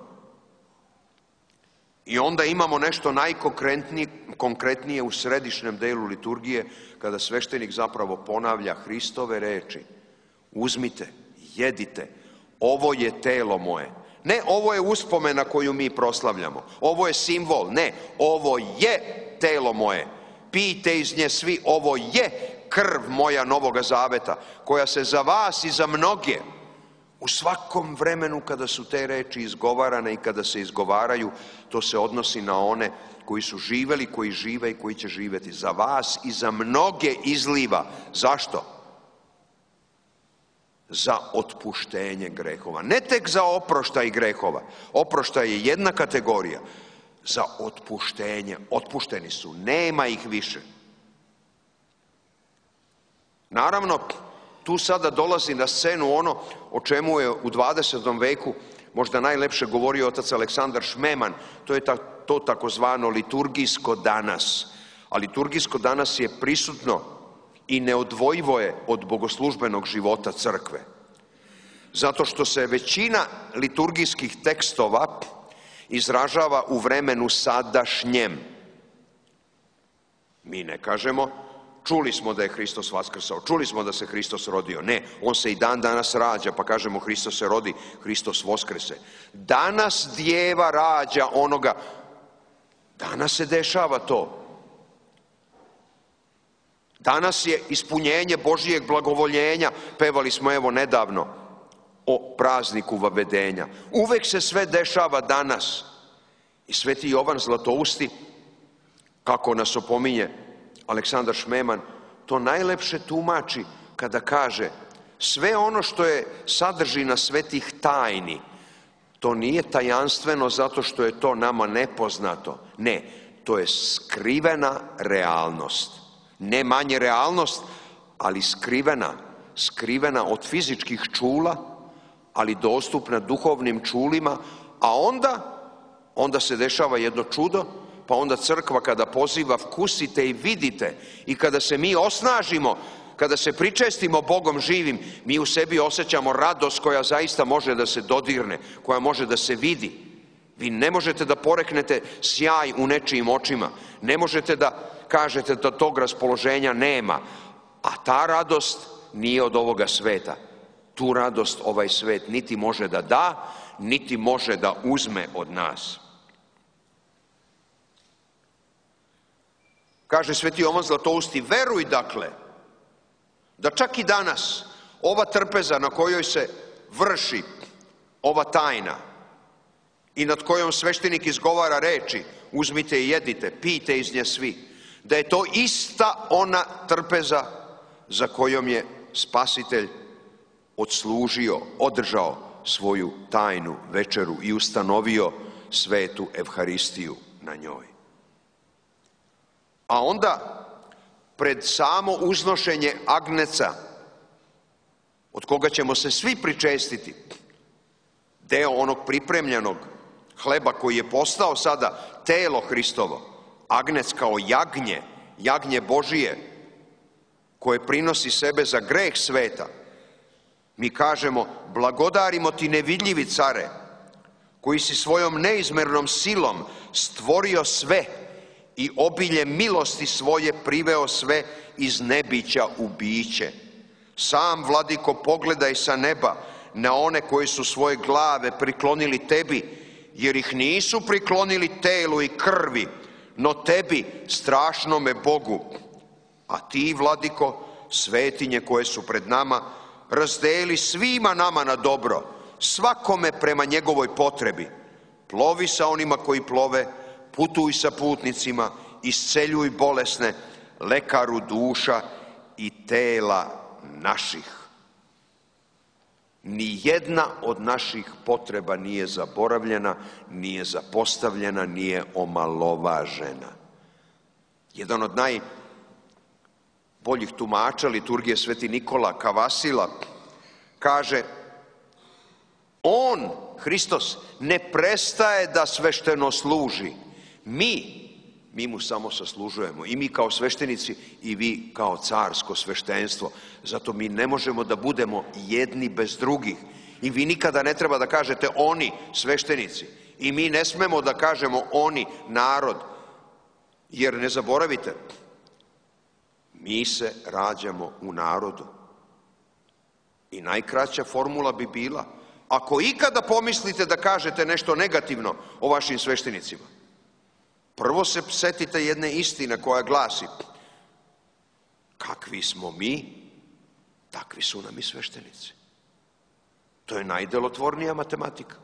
I onda imamo nešto najkonkretnije u središnjem delu liturgije, kada sveštenik zapravo ponavlja Hristove reči. Uzmite, jedite, ovo je telo moje. Ne, ovo je uspomena koju mi proslavljamo. Ovo je simbol. Ne, ovo je telo moje. Pijte iz nje svi, ovo je krv moja Novoga Zaveta, koja se za vas i za mnoge, u svakom vremenu kada su te reči izgovarane i kada se izgovaraju, to se odnosi na one koji su živeli, koji žive i koji će živjeti. Za vas i za mnoge izliva. Zašto? Za otpuštenje grehova. Ne tek za oproštaj grehova. Oproštaj je jedna kategorija. Za otpuštenje. Otpušteni su. Nema ih više. Naravno, tu sada dolazi na scenu ono o čemu je u dvadesetom veku možda najlepše govorio otac Aleksandar Šmeman. To je ta, to takozvano liturgijsko danas. A liturgijsko danas je prisutno i neodvojivo je od bogoslužbenog života crkve. Zato što se većina liturgijskih tekstova izražava u vremenu sadašnjem. Mi ne kažemo, čuli smo da je Hristos vaskrsao, čuli smo da se Hristos rodio. Ne, on se i dan danas rađa, pa kažemo Hristos se rodi, Hristos voskrese. Danas djeva rađa onoga, danas se dešava to. Danas je ispunjenje Božijeg blagovoljenja, pevali smo evo nedavno o prazniku vavedenja. Uvek se sve dešava danas. I sveti Jovan Zlatousti, kako nas opominje Aleksandar Šmeman, to najlepše tumači kada kaže sve ono što je sadržina svetih tajni, to nije tajanstveno zato što je to nama nepoznato. Ne, to je skrivena realnost. Ne manje realnost, ali skrivena. Skrivena od fizičkih čula, ali dostupna duhovnim čulima, a onda, onda se dešava jedno čudo, pa onda crkva kada poziva vkusite i vidite i kada se mi osnažimo, kada se pričestimo Bogom živim, mi u sebi osjećamo radost koja zaista može da se dodirne, koja može da se vidi. Vi ne možete da poreknete sjaj u nečijim očima, ne možete da kažete da tog raspoloženja nema, a ta radost nije od ovoga sveta. Tu radost ovaj svet niti može da da, niti može da uzme od nas. Kaže sveti Jovan Zlatousti, veruj dakle, da čak i danas ova trpeza na kojoj se vrši ova tajna i nad kojom sveštenik izgovara reči, uzmite i jedite, pijte iz nje svi, da je to ista ona trpeza za kojom je Spasitelj odslužio, održao svoju tajnu večeru i ustanovio svetu Evharistiju na njoj. A onda, pred samo uznošenje agneca, od koga ćemo se svi pričestiti, deo onog pripremljenog hleba koji je postao sada telo Hristovo, agnec kao jagnje, jagnje Božije, koje prinosi sebe za greh sveta, mi kažemo, blagodarimo ti nevidljivi care, koji si svojom neizmernom silom stvorio sve i obiljem milosti svoje priveo sve iz nebića u biće. Sam, Vladiko, pogledaj sa neba na one koji su svoje glave priklonili tebi, jer ih nisu priklonili telu i krvi, no tebi, strašnome Bogu. A ti, Vladiko, svetinje koje su pred nama, razdeli svima nama na dobro, svakome prema njegovoj potrebi. Plovi sa onima koji plove, putuj sa putnicima, isceljuj bolesne, lekaru duša i tela naših. Ni jedna od naših potreba nije zaboravljena, nije zapostavljena, nije omalovažena. Jedan od najboljih tumača liturgije sveti Nikola Kavasila kaže, on, Hristos, ne prestaje da svešteno služi. Mi, mi mu samo saslužujemo. I mi kao sveštenici i vi kao carsko sveštenstvo. Zato mi ne možemo da budemo jedni bez drugih. I vi nikada ne treba da kažete oni, sveštenici. I mi ne smemo da kažemo oni, narod. Jer ne zaboravite, mi se rađamo u narodu. I najkraća formula bi bila, ako ikada pomislite da kažete nešto negativno o vašim sveštenicima, prvo se setite jedne istine koja glasi, kakvi smo mi, takvi su nam i sveštenici. To je najdelotvornija matematika.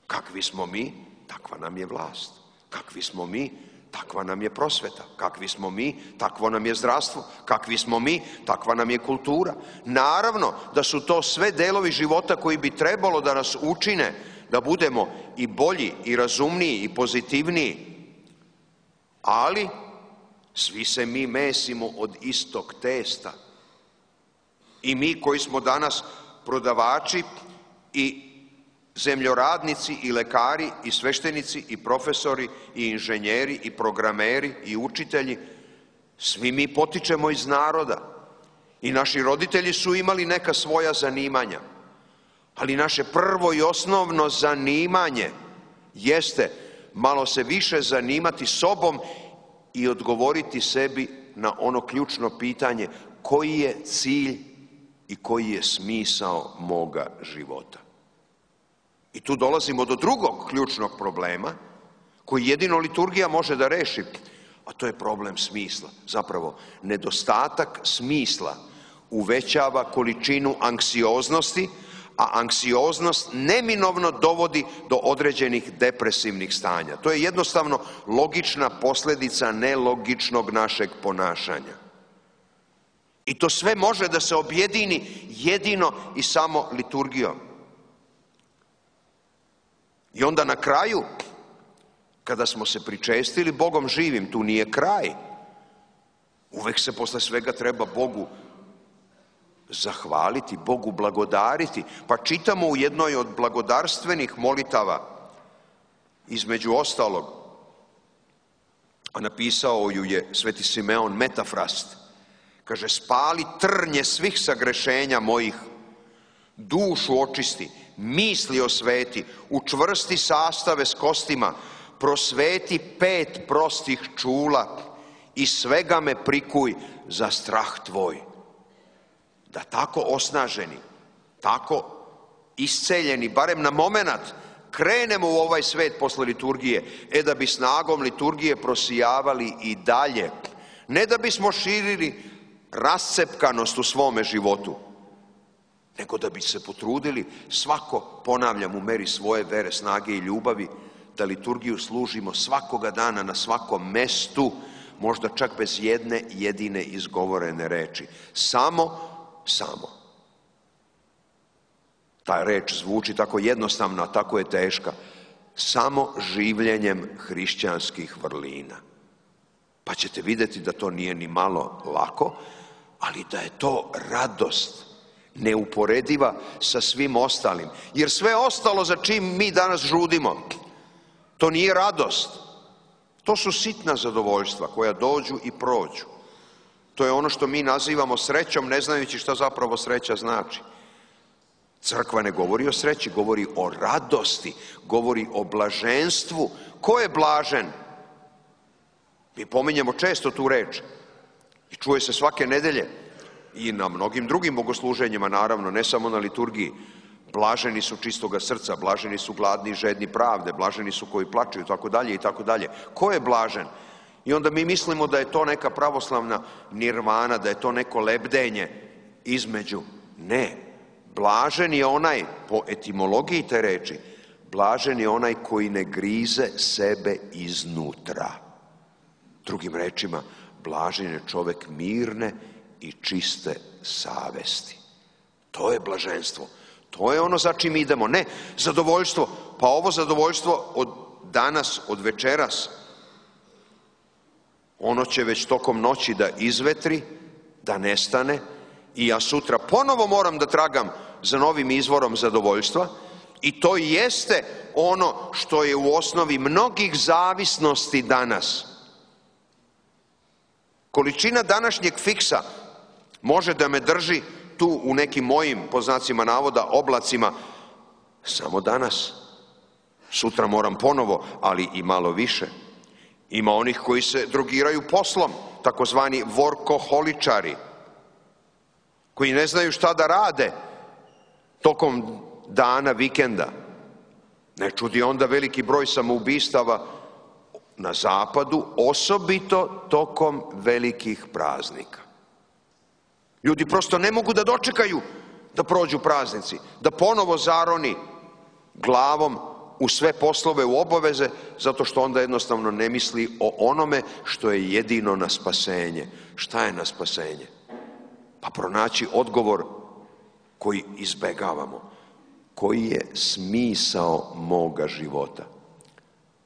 Kakvi smo mi, takva nam je vlast. Kakvi smo mi, takva nam je prosveta. Kakvi smo mi, takvo nam je zdravstvo. Kakvi smo mi, takva nam je kultura. Naravno da su to sve delovi života koji bi trebalo da nas učine da budemo i bolji, i razumniji, i pozitivniji. Ali svi se mi mesimo od istog testa. I mi koji smo danas prodavači i zemljoradnici i lekari i sveštenici i profesori i inženjeri i programeri i učitelji, svi mi potičemo iz naroda i naši roditelji su imali neka svoja zanimanja, ali naše prvo i osnovno zanimanje jeste malo se više zanimati sobom i odgovoriti sebi na ono ključno pitanje: koji je cilj i koji je smisao moga života? I tu dolazimo do drugog ključnog problema koji jedino liturgija može da reši, a to je problem smisla. Zapravo, nedostatak smisla uvećava količinu anksioznosti, a anksioznost neminovno dovodi do određenih depresivnih stanja. To je jednostavno logična posljedica nelogičnog našeg ponašanja. I to sve može da se objedini jedino i samo liturgijom. I onda na kraju, kada smo se pričestili Bogom živim, tu nije kraj. Uvek se posle svega treba Bogu zahvaliti, Bogu blagodariti. Pa čitamo u jednoj od blagodarstvenih molitava, između ostalog, a napisao ju je sveti Simeon Metafrast, kaže: spali trnje svih sagrešenja mojih, dušu očisti, misli osveti, učvrsti sastave s kostima, prosveti pet prostih čula i svega me prikuj za strah tvoj. Da tako osnaženi, tako isceljeni, barem na momenat, krenemo u ovaj svet posle liturgije, e da bi snagom liturgije prosijavali i dalje, ne da bismo širili rascepkanost u svome životu, nego da bi se potrudili svako, ponavljam, u meri svoje vere, snage i ljubavi, da liturgiju služimo svakoga dana na svakom mestu, možda čak bez jedne jedine izgovorene reči. Samo, samo. Ta reč zvuči tako jednostavno, a tako je teška. Samo življenjem hrišćanskih vrlina. Pa ćete vidjeti da to nije ni malo lako, ali da je to radost neuporediva sa svim ostalim. Jer sve ostalo za čim mi danas žudimo, to nije radost. To su sitna zadovoljstva koja dođu i prođu. To je ono što mi nazivamo srećom, ne znajući šta zapravo sreća znači. Crkva ne govori o sreći, govori o radosti, govori o blaženstvu. Ko je blažen? Mi pominjemo često tu reč i čuje se svake nedelje i na mnogim drugim bogosluženjima, naravno, ne samo na liturgiji. Blaženi su čistoga srca, blaženi su gladni i žedni pravde, blaženi su koji plaču i tako dalje i tako dalje. Ko je blažen? I onda mi mislimo da je to neka pravoslavna nirvana, da je to neko lebdenje između. Ne, blažen je onaj, po etimologiji te reči, blažen je onaj koji ne grize sebe iznutra. Drugim rečima, blažen je čovek mirne i čiste savesti. To je blaženstvo. To je ono za čim idemo. Ne, zadovoljstvo. Pa ovo zadovoljstvo od danas, od večeras, ono će već tokom noći da izvetri, da nestane i ja sutra ponovo moram da tragam za novim izvorom zadovoljstva i to jeste ono što je u osnovi mnogih zavisnosti danas. Količina današnjeg fiksa može da me drži tu u nekim mojim, po znacima navoda, oblacima samo danas. Sutra moram ponovo, ali i malo više. Ima onih koji se drogiraju poslom, takozvani vorkoholičari, koji ne znaju šta da rade tokom dana, vikenda. Ne čudi onda veliki broj samoubistava na zapadu, osobito tokom velikih praznika. Ljudi prosto ne mogu da dočekaju da prođu praznici, da ponovo zaroni glavom u sve poslove, u obaveze, zato što onda jednostavno ne misli o onome što je jedino na spasenje. Šta je na spasenje? Pa pronaći odgovor koji izbegavamo. Koji je smisao moga života?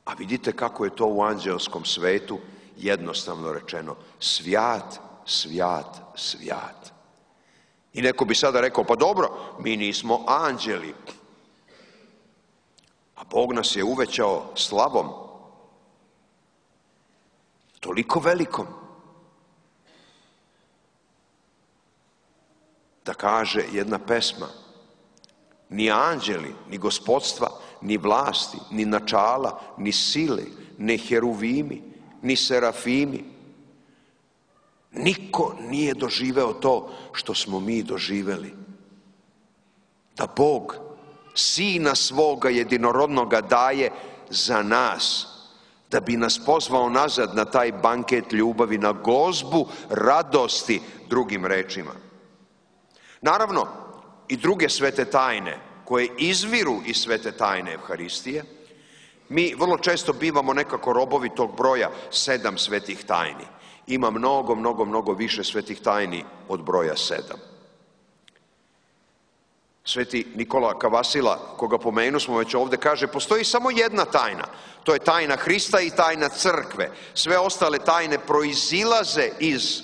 A vidite kako je to u anđelskom svetu jednostavno rečeno. Svjat, svjat, svjat. I neko bi sada rekao, pa dobro, mi nismo anđeli. A Bog nas je uvećao slavom, toliko velikom, da kaže jedna pesma, ni anđeli, ni gospodstva, ni vlasti, ni načala, ni sile, ni heruvimi, ni serafimi, niko nije doživeo to što smo mi doživeli. Da Bog Sina svoga jedinorodnoga daje za nas, da bi nas pozvao nazad na taj banket ljubavi, na gozbu radosti, drugim rečima. Naravno, i druge svete tajne koje izviru iz svete tajne Evharistije, mi vrlo često bivamo nekako robovi tog broja sedam svetih tajni. Ima mnogo, mnogo, mnogo više svetih tajni od broja sedam. Sveti Nikola Kavasila, koga pomenu smo već ovdje, kaže, postoji samo jedna tajna. To je tajna Hrista i tajna crkve. Sve ostale tajne proizilaze iz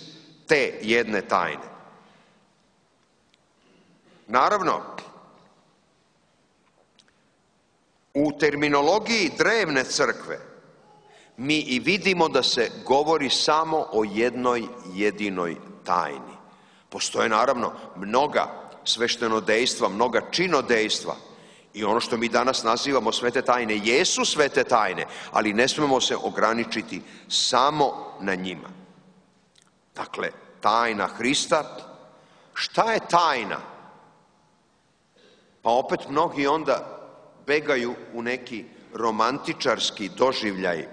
te jedne tajne. Naravno, u terminologiji drevne crkve mi i vidimo da se govori samo o jednoj jedinoj tajni. Postoje naravno mnoga sveštenodejstva, mnoga činodejstva i ono što mi danas nazivamo svete tajne jesu svete tajne, ali ne smemo se ograničiti samo na njima. Dakle, tajna Hrista. Šta je tajna? Pa opet mnogi onda begaju u neki romantičarski doživljaj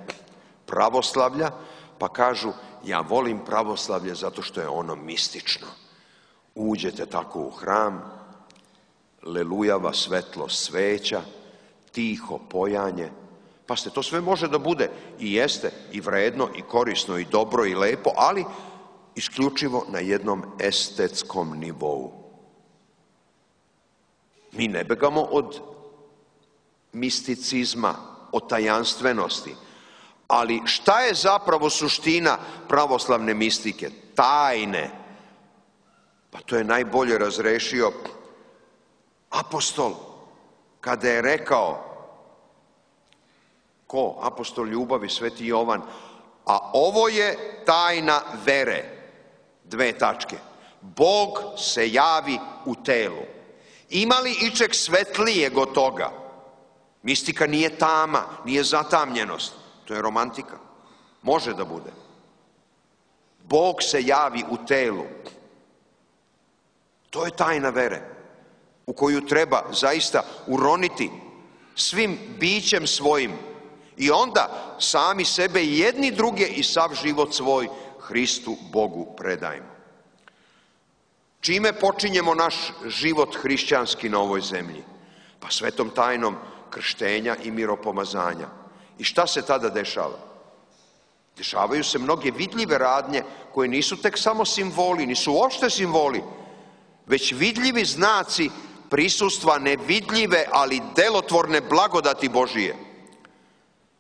pravoslavlja, pa kažu, ja volim pravoslavlje zato što je ono mistično. Uđete tako u hram, lelujava svetlo sveća, tiho pojanje, pa ste, to sve može da bude i jeste i vredno i korisno i dobro i lepo, ali isključivo na jednom estetskom nivou. Mi ne begamo od misticizma, od tajanstvenosti, ali šta je zapravo suština pravoslavne mistike? Tajne. Pa to je najbolje razrešio apostol kada je rekao, ko? Apostol ljubavi, sveti Jovan, a ovo je tajna vere, dve tačke. Bog se javi u telu. Ima li ičeg svetlijeg od toga? Mistika nije tama, nije zatamljenost, to je romantika. Može da bude. Bog se javi u telu. To je tajna vere u koju treba zaista uroniti svim bićem svojim i onda sami sebe i jedni druge i sav život svoj Hristu Bogu predajmo. Čime počinjemo naš život hrišćanski na ovoj zemlji? Pa svetom tajnom krštenja i miropomazanja. I šta se tada dešava? Dešavaju se mnoge vidljive radnje koje nisu tek samo simboli, nisu uopšte simboli, već vidljivi znaci prisustva nevidljive, ali delotvorne blagodati Božije.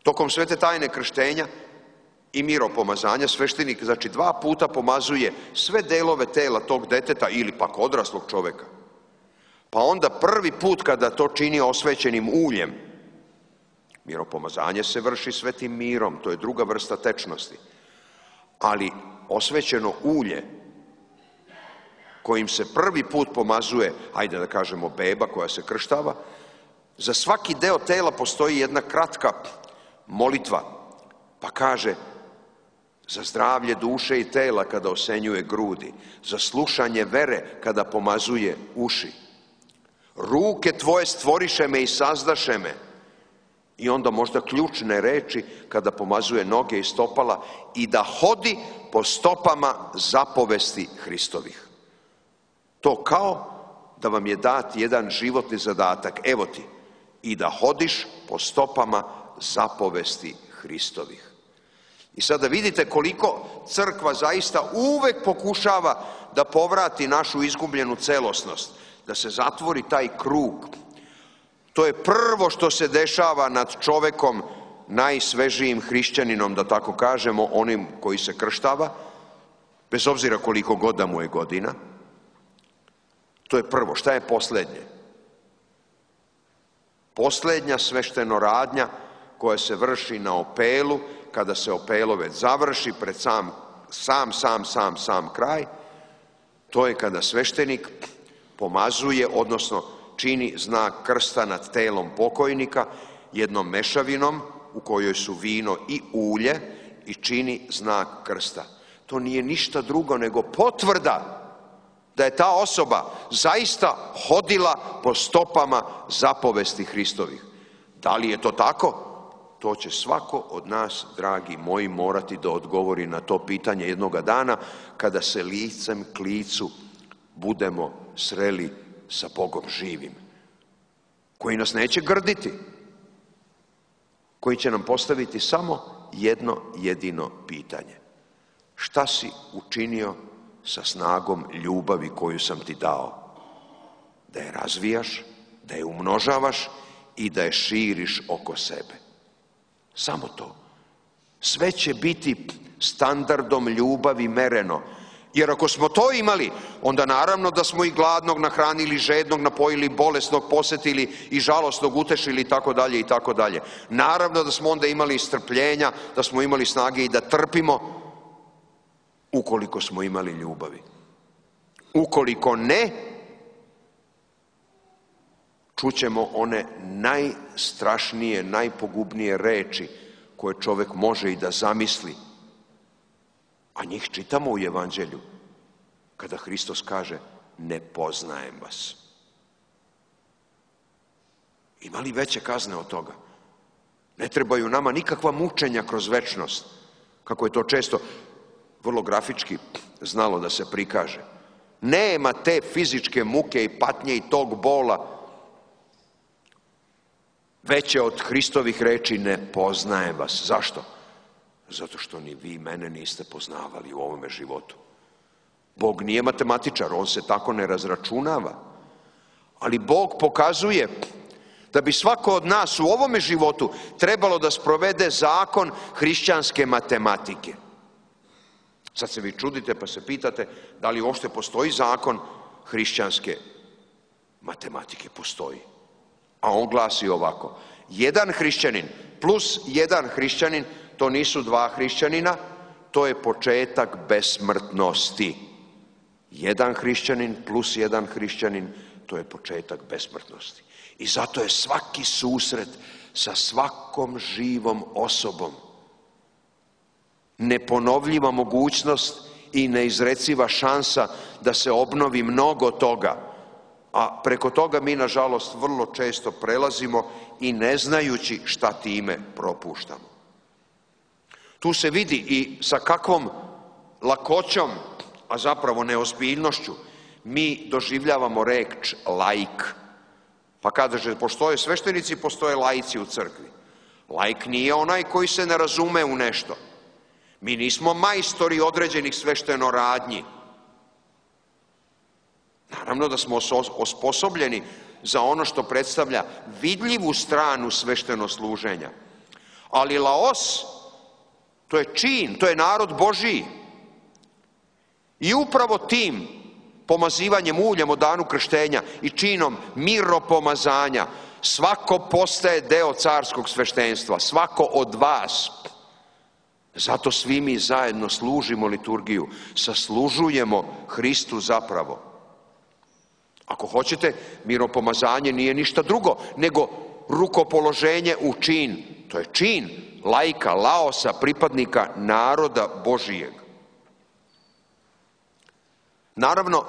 Tokom svete tajne krštenja i miropomazanja sveštenik, znači, dva puta pomazuje sve delove tela tog deteta ili pak odraslog čoveka. Pa onda prvi put kada to čini osvećenim uljem, miropomazanje se vrši svetim mirom, to je druga vrsta tečnosti, ali osvećeno ulje kojim se prvi put pomazuje, ajde da kažemo beba koja se krštava, za svaki deo tela postoji jedna kratka molitva, pa kaže za zdravlje duše i tela kada osenjuje grudi, za slušanje vere kada pomazuje uši. Ruke tvoje stvoriše me i sazdaše me. I onda možda ključne reči kada pomazuje noge i stopala i da hodi po stopama zapovesti Hristovih. To kao da vam je dat jedan životni zadatak. Evo ti, i da hodiš po stopama zapovesti Hristovih. I sada vidite koliko crkva zaista uvek pokušava da povrati našu izgubljenu celosnost, da se zatvori taj krug. To je prvo što se dešava nad čovekom, najsvežijim hrišćaninom, da tako kažemo, onim koji se krštava, bez obzira koliko god da mu je godina. To je prvo. Šta je poslednje? Posljednja sveštenoradnja koja se vrši na opelu, kada se opelo već završi pred sam, sam, sam, sam, sam kraj, to je kada sveštenik pomazuje, odnosno čini znak krsta nad telom pokojnika jednom mešavinom u kojoj su vino i ulje i čini znak krsta. To nije ništa drugo nego potvrda da je ta osoba zaista hodila po stopama zapovesti Hristovih. Da li je to tako? To će svako od nas, dragi moji, morati da odgovori na to pitanje jednoga dana kada se licem k licu budemo sreli sa Bogom živim, koji nas neće grditi, koji će nam postaviti samo jedno jedino pitanje. Šta si učinio sa snagom ljubavi koju sam ti dao? Da je razvijaš, da je umnožavaš i da je širiš oko sebe. Samo to. Sve će biti standardom ljubavi mereno. Jer ako smo to imali, onda naravno da smo i gladnog nahranili, žednog napojili, bolesnog posjetili i žalosnog utešili i tako dalje i tako dalje. Naravno da smo onda imali strpljenja, da smo imali snage i da trpimo, ukoliko smo imali ljubavi. Ukoliko ne, čućemo one najstrašnije, najpogubnije reči koje čovjek može i da zamisli. A njih čitamo u Evanđelju, kada Hristos kaže, ne poznajem vas. Ima li veće kazne od toga? Ne trebaju nama nikakva mučenja kroz večnost, kako je to često vrlo grafički znalo da se prikaže. Nema te fizičke muke i patnje i tog bola veće od Hristovih reči, ne poznajem vas. Zašto? Zato što ni vi mene niste poznavali u ovome životu. Bog nije matematičar, on se tako ne razračunava. Ali Bog pokazuje da bi svako od nas u ovome životu trebalo da sprovede zakon hrišćanske matematike. Sad se vi čudite pa se pitate da li uopšte postoji zakon hrišćanske matematike. Postoji. A on glasi ovako. Jedan hrišćanin plus jedan hrišćanin, to nisu dva hrišćanina, to je početak besmrtnosti. Jedan hrišćanin plus jedan hrišćanin, to je početak besmrtnosti. I zato je svaki susret sa svakom živom osobom neponovljiva mogućnost i neizreciva šansa da se obnovi mnogo toga. A preko toga mi, nažalost, vrlo često prelazimo i ne znajući šta time propuštamo. Tu se vidi i sa kakvom lakoćom, a zapravo neozbiljnošću, mi doživljavamo reč laik. Pa kaže, postoje sveštenici, postoje laici u crkvi. Laik nije onaj koji se ne razume u nešto. Mi nismo majstori određenih sveštenoradnji. Naravno da smo osposobljeni za ono što predstavlja vidljivu stranu sveštenosluženja. Ali laos, to je čin, to je narod Božiji. I upravo tim pomazivanjem uljem o danu krštenja i činom miropomazanja svako postaje deo carskog sveštenstva, svako od vas. Zato svi mi zajedno služimo liturgiju, saslužujemo Hristu zapravo. Ako hoćete, miropomazanje nije ništa drugo, nego rukopoloženje u čin. To je čin laika, laosa, pripadnika naroda Božijeg. Naravno,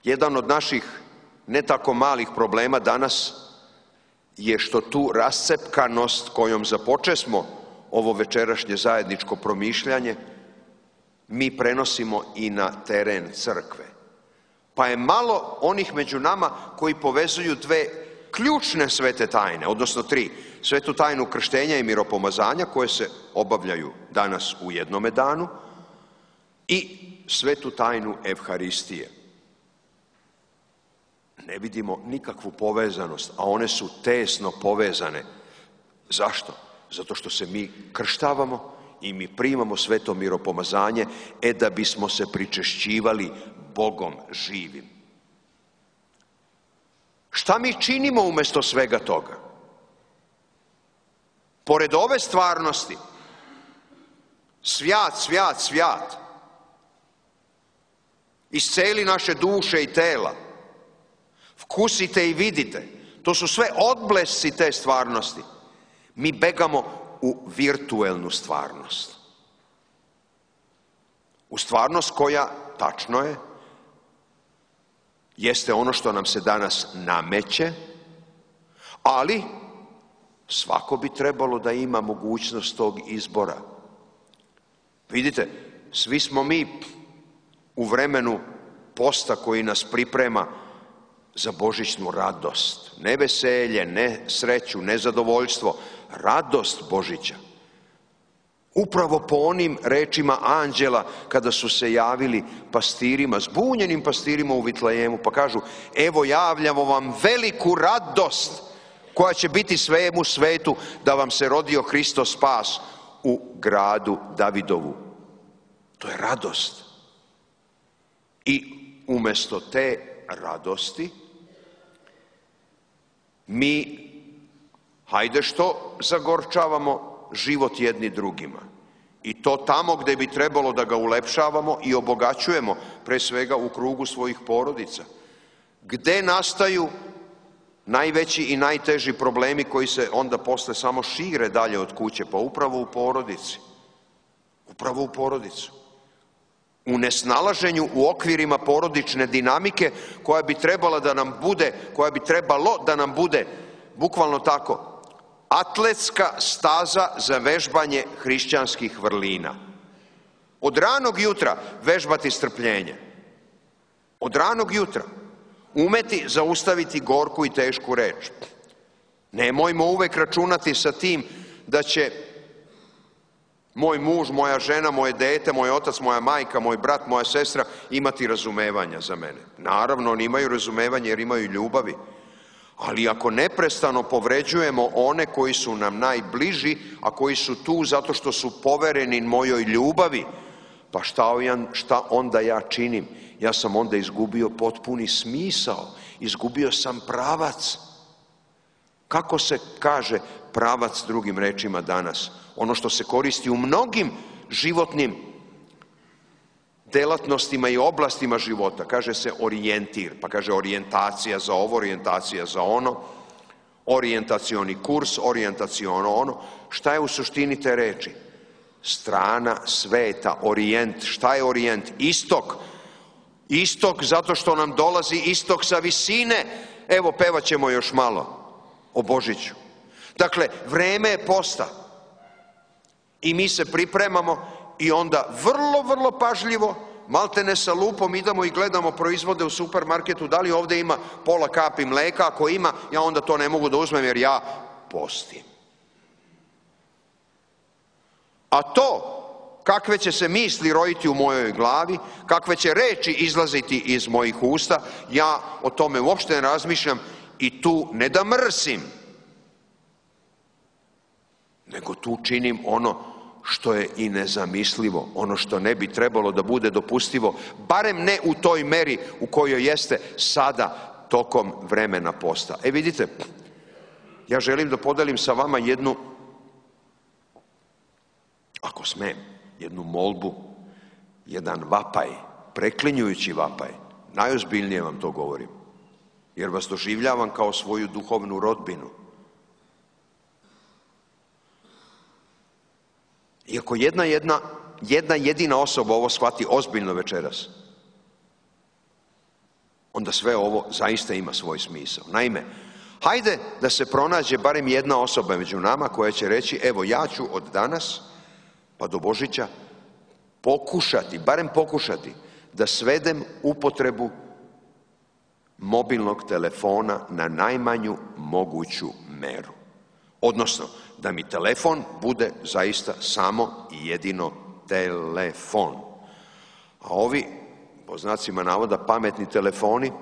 jedan od naših ne tako malih problema danas je što tu rascepkanost kojom započesmo ovo večerašnje zajedničko promišljanje, mi prenosimo i na teren crkve. Pa je malo onih među nama koji povezuju dve ključne svete tajne, odnosno tri. Svetu tajnu krštenja i miropomazanja koje se obavljaju danas u jednome danu i svetu tajnu Evharistije. Ne vidimo nikakvu povezanost, a one su tesno povezane. Zašto? Zato što se mi krštavamo i mi primamo sveto miropomazanje, e da bismo se pričešćivali Bogom živim. Šta mi činimo umjesto svega toga? Pored ove stvarnosti, svijat, svijat, svijat, isceli naše duše i tela, vkusite i vidite, to su sve odblesci te stvarnosti. Mi begamo u virtuelnu stvarnost. U stvarnost koja, tačno je, jeste ono što nam se danas nameće, ali svako bi trebalo da ima mogućnost tog izbora. Vidite, svi smo mi u vremenu posta koji nas priprema za božićnu radost. Ne veselje, ne sreću, ne zadovoljstvo, radost Božića. Upravo po onim rečima anđela kada su se javili pastirima, zbunjenim pastirima u Vitlejemu, pa kažu, evo javljamo vam veliku radost koja će biti svemu svetu, da vam se rodio Hristos spas u gradu Davidovu. To je radost. I umjesto te radosti mi, hajde što zagorčavamo život jedni drugima. I to tamo gdje bi trebalo da ga ulepšavamo i obogaćujemo, pre svega u krugu svojih porodica. Gde nastaju najveći i najteži problemi koji se onda posle samo šire dalje od kuće? Pa upravo u porodici. Upravo u porodicu. U nesnalaženju u okvirima porodične dinamike koja bi trebala da nam bude, koja bi trebalo da nam bude, bukvalno tako, atletska staza za vežbanje hrišćanskih vrlina. Od ranog jutra vežbati strpljenje. Od ranog jutra umeti zaustaviti gorku i tešku reč. Nemojmo uvek računati sa tim da će moj muž, moja žena, moje dete, moj otac, moja majka, moj brat, moja sestra imati razumevanja za mene. Naravno, oni imaju razumevanje jer imaju ljubavi. Ali ako neprestano povređujemo one koji su nam najbliži, a koji su tu zato što su povereni mojoj ljubavi, pa šta, šta onda ja činim? Ja sam onda izgubio potpuni smisao, izgubio sam pravac. Kako se kaže pravac drugim rečima danas? Ono što se koristi u mnogim životnim delatnostima i oblastima života. Kaže se orijentir, pa kaže orijentacija za ovo, orijentacija za ono, orijentacioni kurs, orijentaciono ono. Šta je u suštini te reči? Strana sveta, orijent. Šta je orijent? Istok. Istok zato što nam dolazi istok sa visine. Evo, pevat ćemo još malo o Božiću. Dakle, vreme je posta. I mi se pripremamo i onda vrlo, vrlo pažljivo, maltene sa lupom idemo i gledamo proizvode u supermarketu, da li ovdje ima pola kapi mleka, ako ima, ja onda to ne mogu da uzmem jer ja postim. A to, kakve će se misli rojiti u mojoj glavi, kakve će reči izlaziti iz mojih usta, ja o tome uopšte ne razmišljam i tu ne da mrsim, nego tu činim ono što je i nezamislivo, ono što ne bi trebalo da bude dopustivo, barem ne u toj meri u kojoj jeste sada tokom vremena posta. E vidite, ja želim da podelim sa vama jednu, ako smem, jednu molbu, jedan vapaj, preklinjujući vapaj. Najozbiljnije vam to govorim, jer vas doživljavam kao svoju duhovnu rodbinu. I ako jedna, jedna, jedna jedina osoba ovo shvati ozbiljno večeras, onda sve ovo zaista ima svoj smisao. Naime, hajde da se pronađe barem jedna osoba među nama koja će reći, evo ja ću od danas pa do Božića pokušati, barem pokušati, da svedem upotrebu mobilnog telefona na najmanju moguću meru. Odnosno, da mi telefon bude zaista samo i jedino telefon. A ovi, po znacima navoda, pametni telefoni,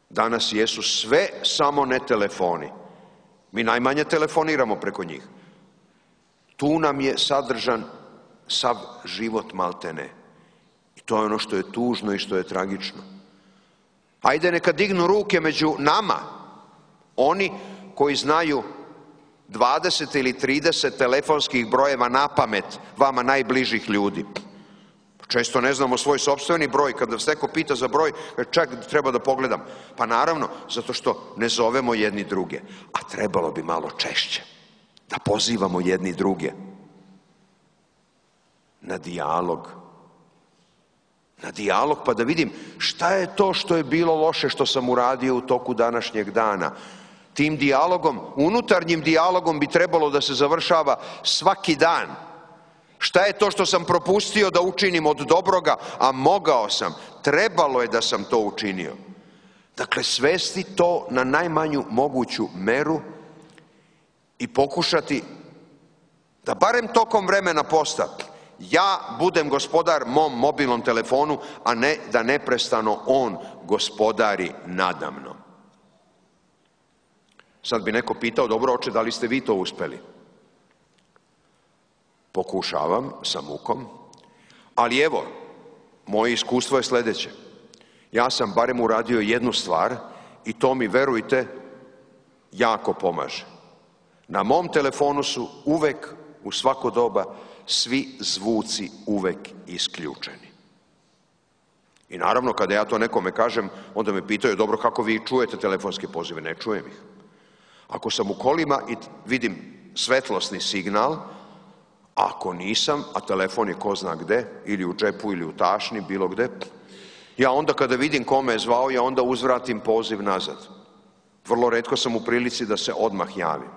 danas jesu sve samo ne telefoni. Mi najmanje telefoniramo preko njih. Tu nam je sadržan sav život maltene. I to je ono što je tužno i što je tragično. Hajde neka dignu ruke među nama, oni koji znaju dvadeset ili trideset telefonskih brojeva na pamet vama najbližih ljudi. Često ne znamo svoj sopstveni broj, kada vas neko pita za broj, čak treba da pogledam. Pa naravno, zato što ne zovemo jedni druge, a trebalo bi malo češće da pozivamo jedni druge na dijalog. Na dijalog, pa da vidim šta je to što je bilo loše što sam uradio u toku današnjeg dana. Tim dijalogom, unutarnjim dijalogom bi trebalo da se završava svaki dan. Šta je to što sam propustio da učinim od dobroga, a mogao sam, trebalo je da sam to učinio. Dakle, svesti to na najmanju moguću meru i pokušati da barem tokom vremena posta ja budem gospodar mom mobilnom telefonu, a ne da neprestano on gospodari nadamnom. Sad bi neko pitao, dobro oče, da li ste vi to uspeli? Pokušavam sa mukom, ali evo, moje iskustvo je sledeće. Ja sam barem uradio jednu stvar i to mi, verujte, jako pomaže. Na mom telefonu su uvek, u svako doba, svi zvuci uvek isključeni. I naravno, kada ja to nekome kažem, onda me pitaju, dobro, kako vi čujete telefonske pozive? Ne čujem ih. Ako sam u kolima i vidim svetlosni signal, ako nisam, a telefon je ko zna gde, ili u džepu, ili u tašni, bilo gde, ja onda kada vidim kome je zvao, ja onda uzvratim poziv nazad. Vrlo retko sam u prilici da se odmah javim.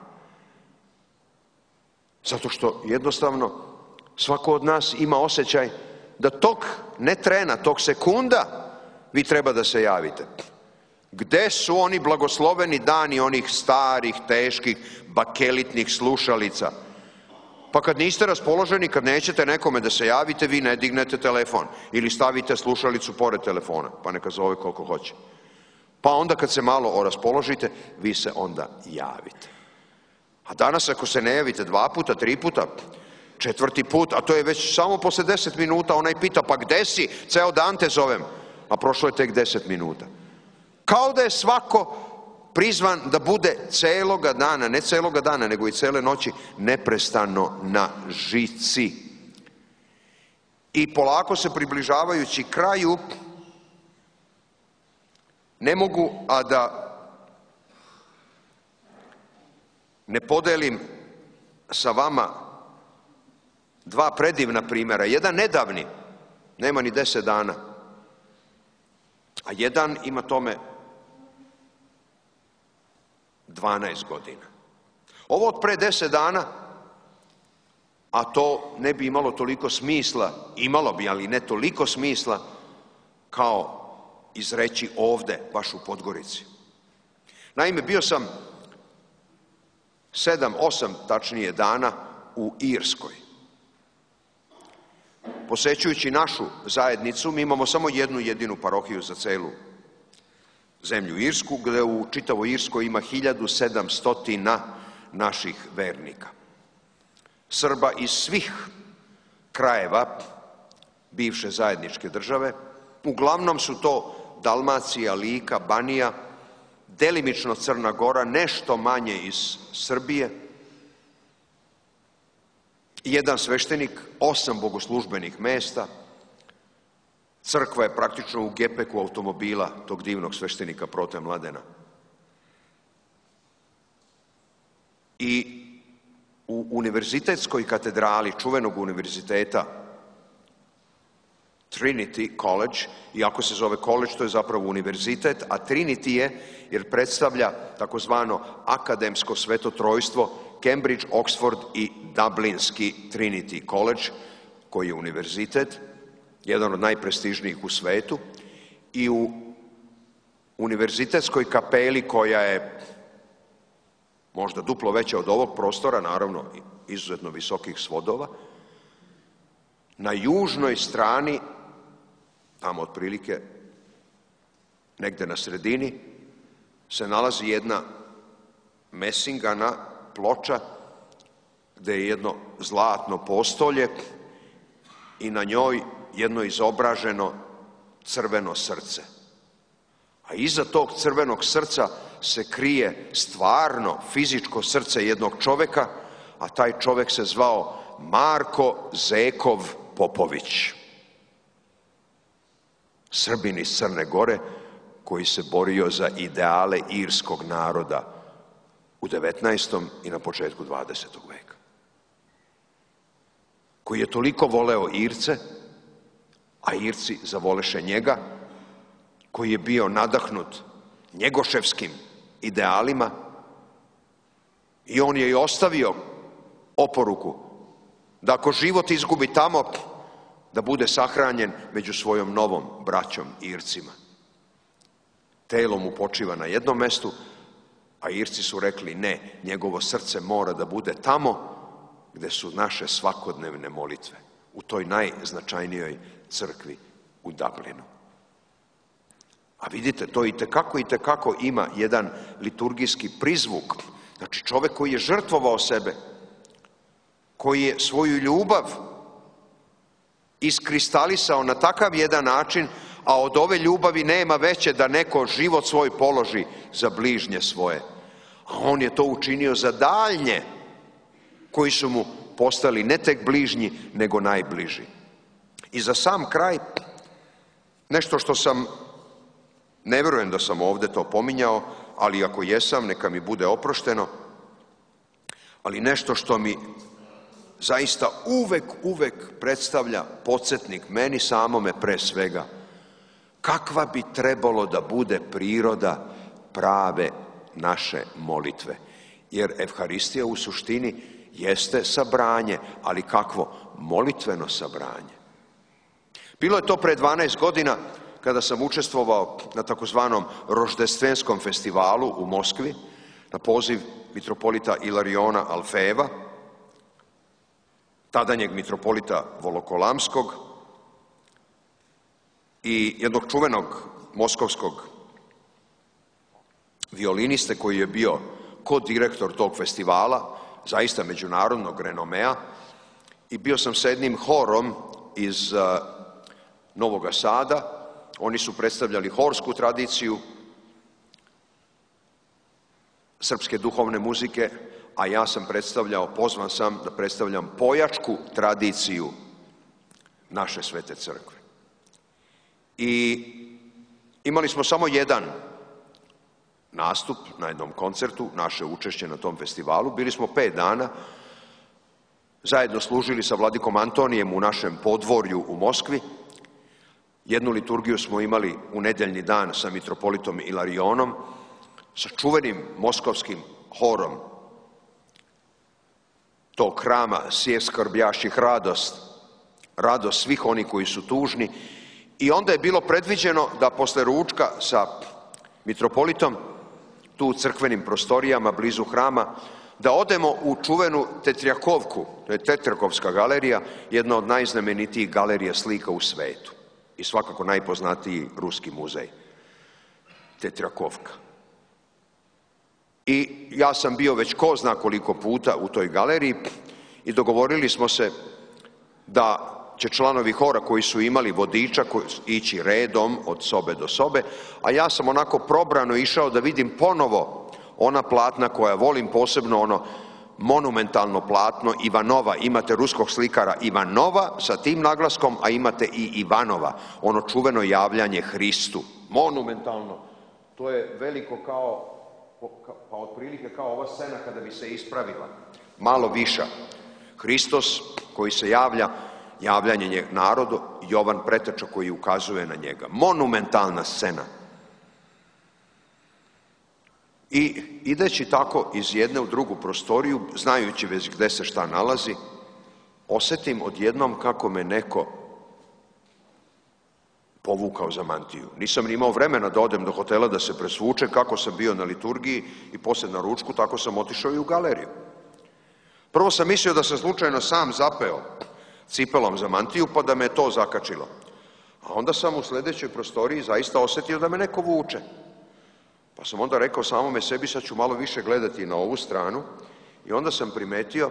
Zato što jednostavno svako od nas ima osjećaj da tog, ne trena, tog sekunda vi treba da se javite. Gde su oni blagosloveni dani onih starih, teških, bakelitnih slušalica? Pa kad niste raspoloženi, kad nećete nekome da se javite, vi ne dignete telefon ili stavite slušalicu pored telefona, pa neka zove koliko hoće. Pa onda kad se malo raspoložite, vi se onda javite. A danas ako se ne javite dva puta, tri puta, četvrti put, a to je već samo posle deset minuta, onaj pita, pa gde si? Ceo dan te zovem. A prošlo je tek deset minuta. Kao da je svako prizvan da bude celoga dana, ne celoga dana, nego i cele noći, neprestano na žici. I polako se približavajući kraju, ne mogu a da ne podelim sa vama dva predivna primjera. Jedan nedavni, nema ni deset dana, a jedan ima tome dvanaest godina. Ovo od pre deset dana, a to ne bi imalo toliko smisla, imalo bi, ali ne toliko smisla, kao izreći ovde, baš u Podgorici. Naime, bio sam sedam, osam tačnije dana u Irskoj. Posećujući našu zajednicu, mi imamo samo jednu jedinu parohiju za celu zemlju Irsku, gde u čitavoj Irskoj ima hiljadu sedamsto naših vernika. Srba iz svih krajeva bivše zajedničke države, uglavnom su to Dalmacija, Lika, Banija, delimično Crna Gora, nešto manje iz Srbije, jedan sveštenik, osam bogoslužbenih mesta, crkva je praktično u gepeku automobila tog divnog sveštenika Prote Mladena. I u univerzitetskoj katedrali čuvenog univerziteta Trinity College, iako se zove college, to je zapravo univerzitet, a Trinity je jer predstavlja takozvano akademsko svetotrojstvo Cambridge, Oxford i Dublinski Trinity College, koji je univerzitet, jedan od najprestižnijih u svetu, i u univerzitetskoj kapeli, koja je možda duplo veća od ovog prostora, naravno izuzetno visokih svodova, na južnoj strani, tamo otprilike negde na sredini, se nalazi jedna mesingana ploča gde je jedno zlatno postolje i na njoj jedno izobraženo crveno srce. A iza tog crvenog srca se krije stvarno fizičko srce jednog čoveka, a taj čovek se zvao Marko Zekov Popović. Srbin iz Crne Gore koji se borio za ideale irskog naroda u devetnaestom i na početku dvadesetog veka. Koji je toliko voleo Irce, a Irci zavoleše njega, koji je bio nadahnut njegoševskim idealima i on je i ostavio oporuku da ako život izgubi tamo, da bude sahranjen među svojom novom braćom Ircima. Telo mu počiva na jednom mestu, a Irci su rekli ne, njegovo srce mora da bude tamo gde su naše svakodnevne molitve, u toj najznačajnijoj crkvi u Dublinu. A vidite, to i tekako i tekako ima jedan liturgijski prizvuk. Znači čovek koji je žrtvovao sebe, koji je svoju ljubav iskristalisao na takav jedan način, a od ove ljubavi nema veće da neko život svoj položi za bližnje svoje. A on je to učinio za daljnje, koji su mu postali ne tek bližnji, nego najbliži. I za sam kraj, nešto što sam, ne verujem da sam ovde to pominjao, ali ako jesam, neka mi bude oprošteno, ali nešto što mi zaista uvek, uvek predstavlja podsjetnik meni samome pre svega, kakva bi trebalo da bude priroda prave naše molitve. Jer Evharistija u suštini jeste sabranje, ali kakvo? Molitveno sabranje. Bilo je to pre dvanaest godina kada sam učestvovao na takozvanom roždestvenskom festivalu u Moskvi na poziv mitropolita Ilariona Alfejeva, tadanjeg mitropolita Volokolamskog i jednog čuvenog moskovskog violiniste koji je bio kodirektor tog festivala, zaista međunarodnog renomea, i bio sam sa jednim horom iz Novog Sada. Oni su predstavljali horsku tradiciju srpske duhovne muzike, a ja sam predstavljao, pozvan sam da predstavljam pojačku tradiciju naše Svete Crkve. I imali smo samo jedan nastup na jednom koncertu, naše učešće na tom festivalu. Bili smo pet dana, zajedno služili sa vladikom Antonijem u našem podvorju u Moskvi. Jednu liturgiju smo imali u nedeljni dan sa mitropolitom Ilarionom, sa čuvenim moskovskim horom tog hrama Sje skrbjaših radost, radost svih oni koji su tužni. I onda je bilo predviđeno da posle ručka sa mitropolitom, tu u crkvenim prostorijama blizu hrama, da odemo u čuvenu Tetrjakovku, to je Tetrjakovska galerija, jedna od najznamenitijih galerija slika u svetu i svakako najpoznatiji ruski muzej, Tetrjakovka. I ja sam bio već ko zna koliko puta u toj galeriji i dogovorili smo se da će članovi hora koji su imali vodiča ići redom od sobe do sobe, a ja sam onako probrano išao da vidim ponovo ona platna koja volim, posebno ono monumentalno platno Ivanova. Imate ruskog slikara Ivanova sa tim naglaskom, a imate i Ivanova, ono čuveno javljanje Hristu. Monumentalno. To je veliko kao, pa otprilike kao ova scena kada bi se ispravila. Malo viša. Hristos koji se javlja, javljanje narodu, Jovan Preteča koji ukazuje na njega. Monumentalna scena. I ideći tako iz jedne u drugu prostoriju, znajući već gde se šta nalazi, osetim odjednom kako me neko povukao za mantiju. Nisam ni imao vremena da odem do hotela da se presvuče, kako sam bio na liturgiji i posle na ručku, tako sam otišao i u galeriju. Prvo sam mislio da sam slučajno sam zapeo cipelom za mantiju, pa da me to zakačilo. A onda sam u sledećoj prostoriji zaista osetio da me neko vuče. Pa sam onda rekao samome sebi, sad ću malo više gledati na ovu stranu, i onda sam primetio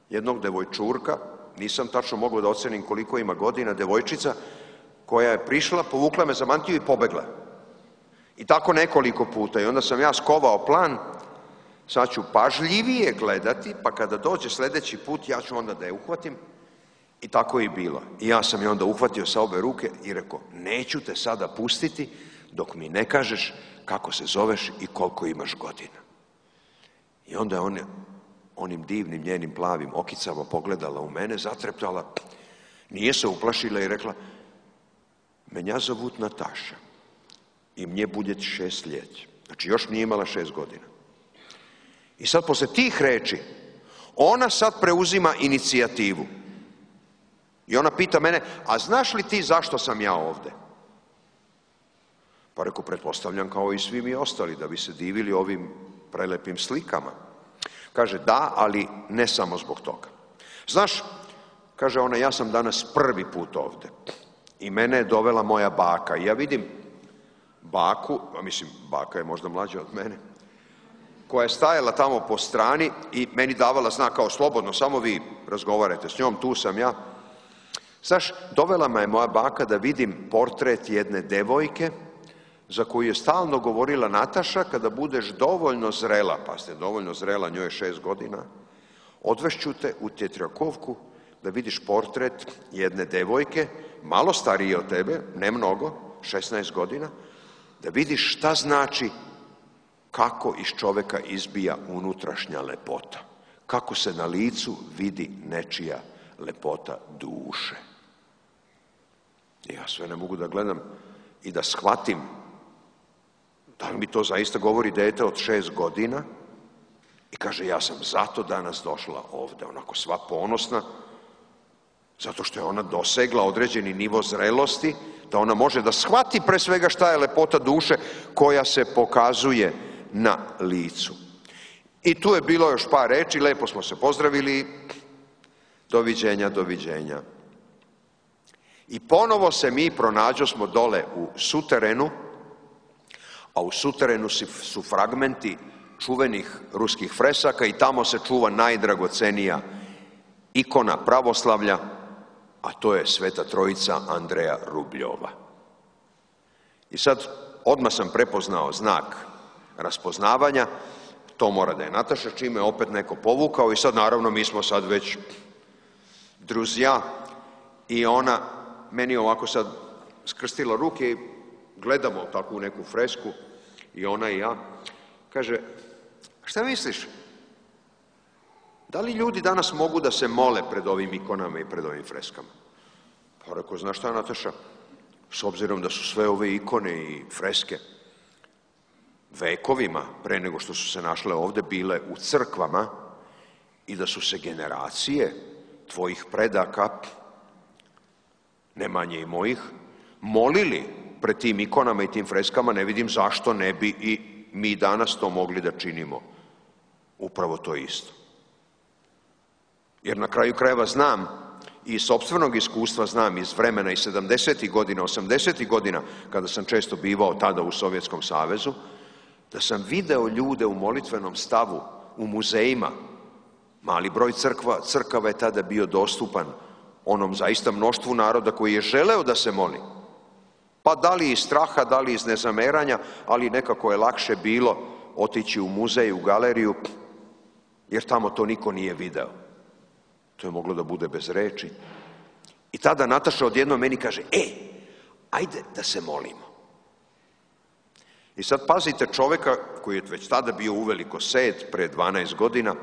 jednog devojčurka, nisam tačno mogao da ocenim koliko ima godina, devojčica, koja je prišla, povukla me za mantiju i pobegla. I tako nekoliko puta. I onda sam ja skovao plan, sad ću pažljivije gledati, pa kada dođe sljedeći put, ja ću onda da je uhvatim. I tako je i bilo. I ja sam je onda uhvatio sa obe ruke i rekao, neću te sada pustiti dok mi ne kažeš kako se zoveš i koliko imaš godina. I onda je on, onim divnim njenim plavim okicama pogledala u mene, zatreptala, nije se uplašila i rekla, menja zovut Nataša i mnje budjet šest ljeti. Znači još nije imala šest godina. I sad posle tih reči, ona sad preuzima inicijativu. I ona pita mene, a znaš li ti zašto sam ja ovde? Pa reko, pretpostavljam kao i svi mi ostali, da bi se divili ovim prelepim slikama. Kaže, da, ali ne samo zbog toga. Znaš, kaže ona, ja sam danas prvi put ovde. I mene je dovela moja baka. I ja vidim baku, a mislim, baka je možda mlađa od mene, koja je stajala tamo po strani i meni davala znak kao slobodno, samo vi razgovarajte s njom, tu sam ja. Znaš, dovela me je moja baka da vidim portret jedne devojke za koju je stalno govorila Nataša, kada budeš dovoljno zrela, pa ste dovoljno zrela, njoj je šest godina, odvešću te u Tetrjakovku da vidiš portret jedne devojke, malo starije od tebe, ne mnogo, šesnaest godina, da vidiš šta znači kako iz čoveka izbija unutrašnja lepota, kako se na licu vidi nečija lepota duše. Ja sve ne mogu da gledam i da shvatim da li mi to zaista govori dete od šest godina i kaže, ja sam zato danas došla ovde, onako sva ponosna, zato što je ona dosegla određeni nivo zrelosti, da ona može da shvati pre svega šta je lepota duše koja se pokazuje na licu. I tu je bilo još par reči, lepo smo se pozdravili, doviđenja, doviđenja. I ponovo se mi pronađo smo dole u suterenu, a u suterenu su fragmenti čuvenih ruskih fresaka i tamo se čuva najdragocenija ikona pravoslavlja, a to je Sveta Trojica Andreja Rubljova. I sad odmah sam prepoznao znak raspoznavanja, to mora da je Nataša, čime je opet neko povukao i sad naravno mi smo sad već druzja i ona meni ovako sad skrstila ruke i gledamo takvu neku fresku i ona i ja. Kaže, šta misliš? Da li ljudi danas mogu da se mole pred ovim ikonama i pred ovim freskama? Pa rekao, znaš šta, Nataša, s obzirom da su sve ove ikone i freske vekovima, pre nego što su se našle ovde, bile u crkvama i da su se generacije tvojih predaka, ne manje i mojih, molili pred tim ikonama i tim freskama, ne vidim zašto ne bi i mi danas to mogli da činimo. Upravo to isto. Jer na kraju krajeva znam, i iz sopstvenog iskustva znam iz vremena iz sedamdesetih godina, osamdesetih godina, kada sam često bivao tada u Sovjetskom savezu, da sam video ljude u molitvenom stavu, u muzejima. Mali broj crkva, crkava je tada bio dostupan onom zaista mnoštvu naroda koji je želeo da se moli. Pa da li iz straha, da li iz nezameranja, ali nekako je lakše bilo otići u muzej, u galeriju, jer tamo to niko nije video. To je moglo da bude bez reči. I tada Nataša odjednom meni kaže, e, ajde da se molimo. I sad pazite čoveka koji je već tada bio uveliko set, pre dvanaest godina.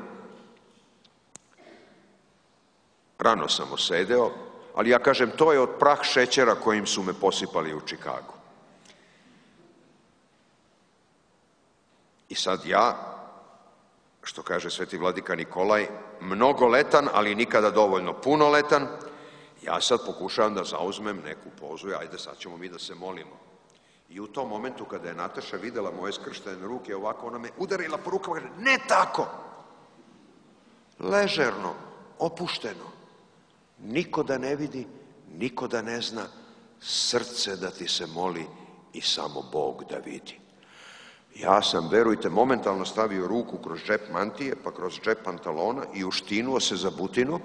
Rano sam osedeo, ali ja kažem, to je od prah šećera kojim su me posipali u Čikagu. I sad ja, što kaže sveti vladika Nikolaj, mnogoletan, ali nikada dovoljno punoletan, ja sad pokušavam da zauzmem neku pozu i ajde sad ćemo mi da se molimo. I u tom momentu kada je Nataša videla moje skrštene ruke ovako, ona me udarila po rukama i kaže, ne tako, ležerno, opušteno, niko da ne vidi, niko da ne zna, srce da ti se moli i samo Bog da vidi. Ja sam, verujte, momentalno stavio ruku kroz džep mantije, pa kroz džep pantalona i uštinuo se za butinu,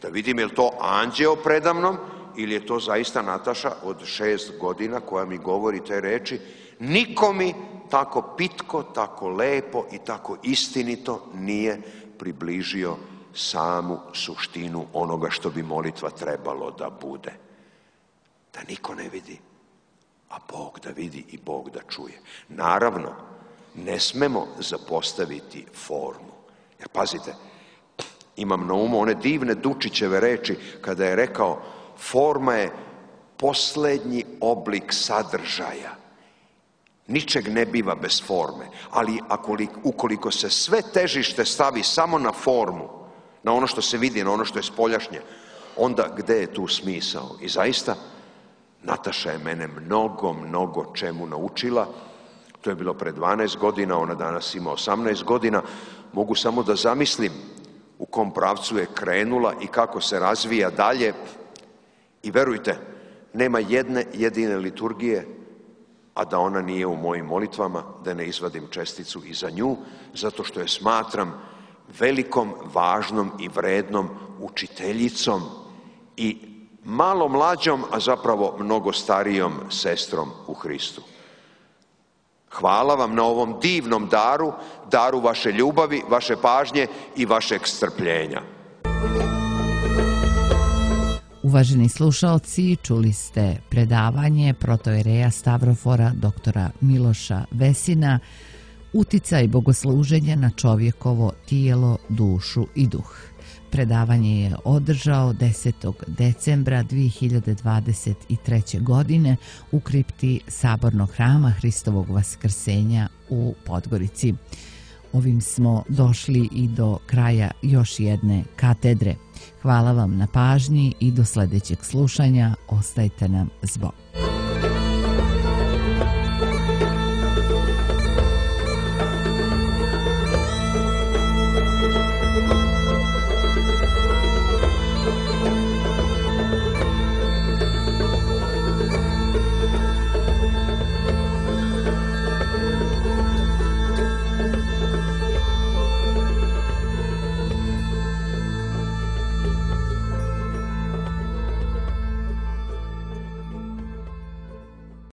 da vidim je li to anđeo predamnom ili je to zaista Nataša od šest godina koja mi govori te reči, Niko mi tako pitko, tako lepo i tako istinito nije približio samu suštinu onoga što bi molitva trebalo da bude. Da niko ne vidi, a Bog da vidi i Bog da čuje. Naravno, ne smemo zapostaviti formu. Jer pazite, imam na umu one divne Dučićeve reči kada je rekao forma je poslednji oblik sadržaja. Ničeg ne biva bez forme, ali ukoliko se sve težište stavi samo na formu, na ono što se vidi, na ono što je spoljašnje, onda gde je tu smisao? I zaista, Nataša je mene mnogo, mnogo čemu naučila. To je bilo pre dvanaest godina, ona danas ima osamnaest godina. Mogu samo da zamislim u kom pravcu je krenula i kako se razvija dalje. I verujte, nema jedne jedine liturgije, a da ona nije u mojim molitvama, da ne izvadim česticu i za nju, zato što je smatram velikom, važnom i vrednom učiteljicom i malo mlađom, a zapravo mnogo starijom sestrom u Hristu. Hvala vam na ovom divnom daru, daru vaše ljubavi, vaše pažnje i vašeg strpljenja. Uvaženi slušaoci, čuli ste predavanje protoijereja Stavrofora doktora Miloša Vesina Uticaj bogosluženja na čovjekovo tijelo, dušu i duh. Predavanje je održao desetog decembra dve hiljade dvadeset treće. godine u kripti Sabornog hrama Hristovog Vaskrsenja u Podgorici. Ovim smo došli i do kraja još jedne katedre. Hvala vam na pažnji i do sljedećeg slušanja. Ostajte nam s Bogom.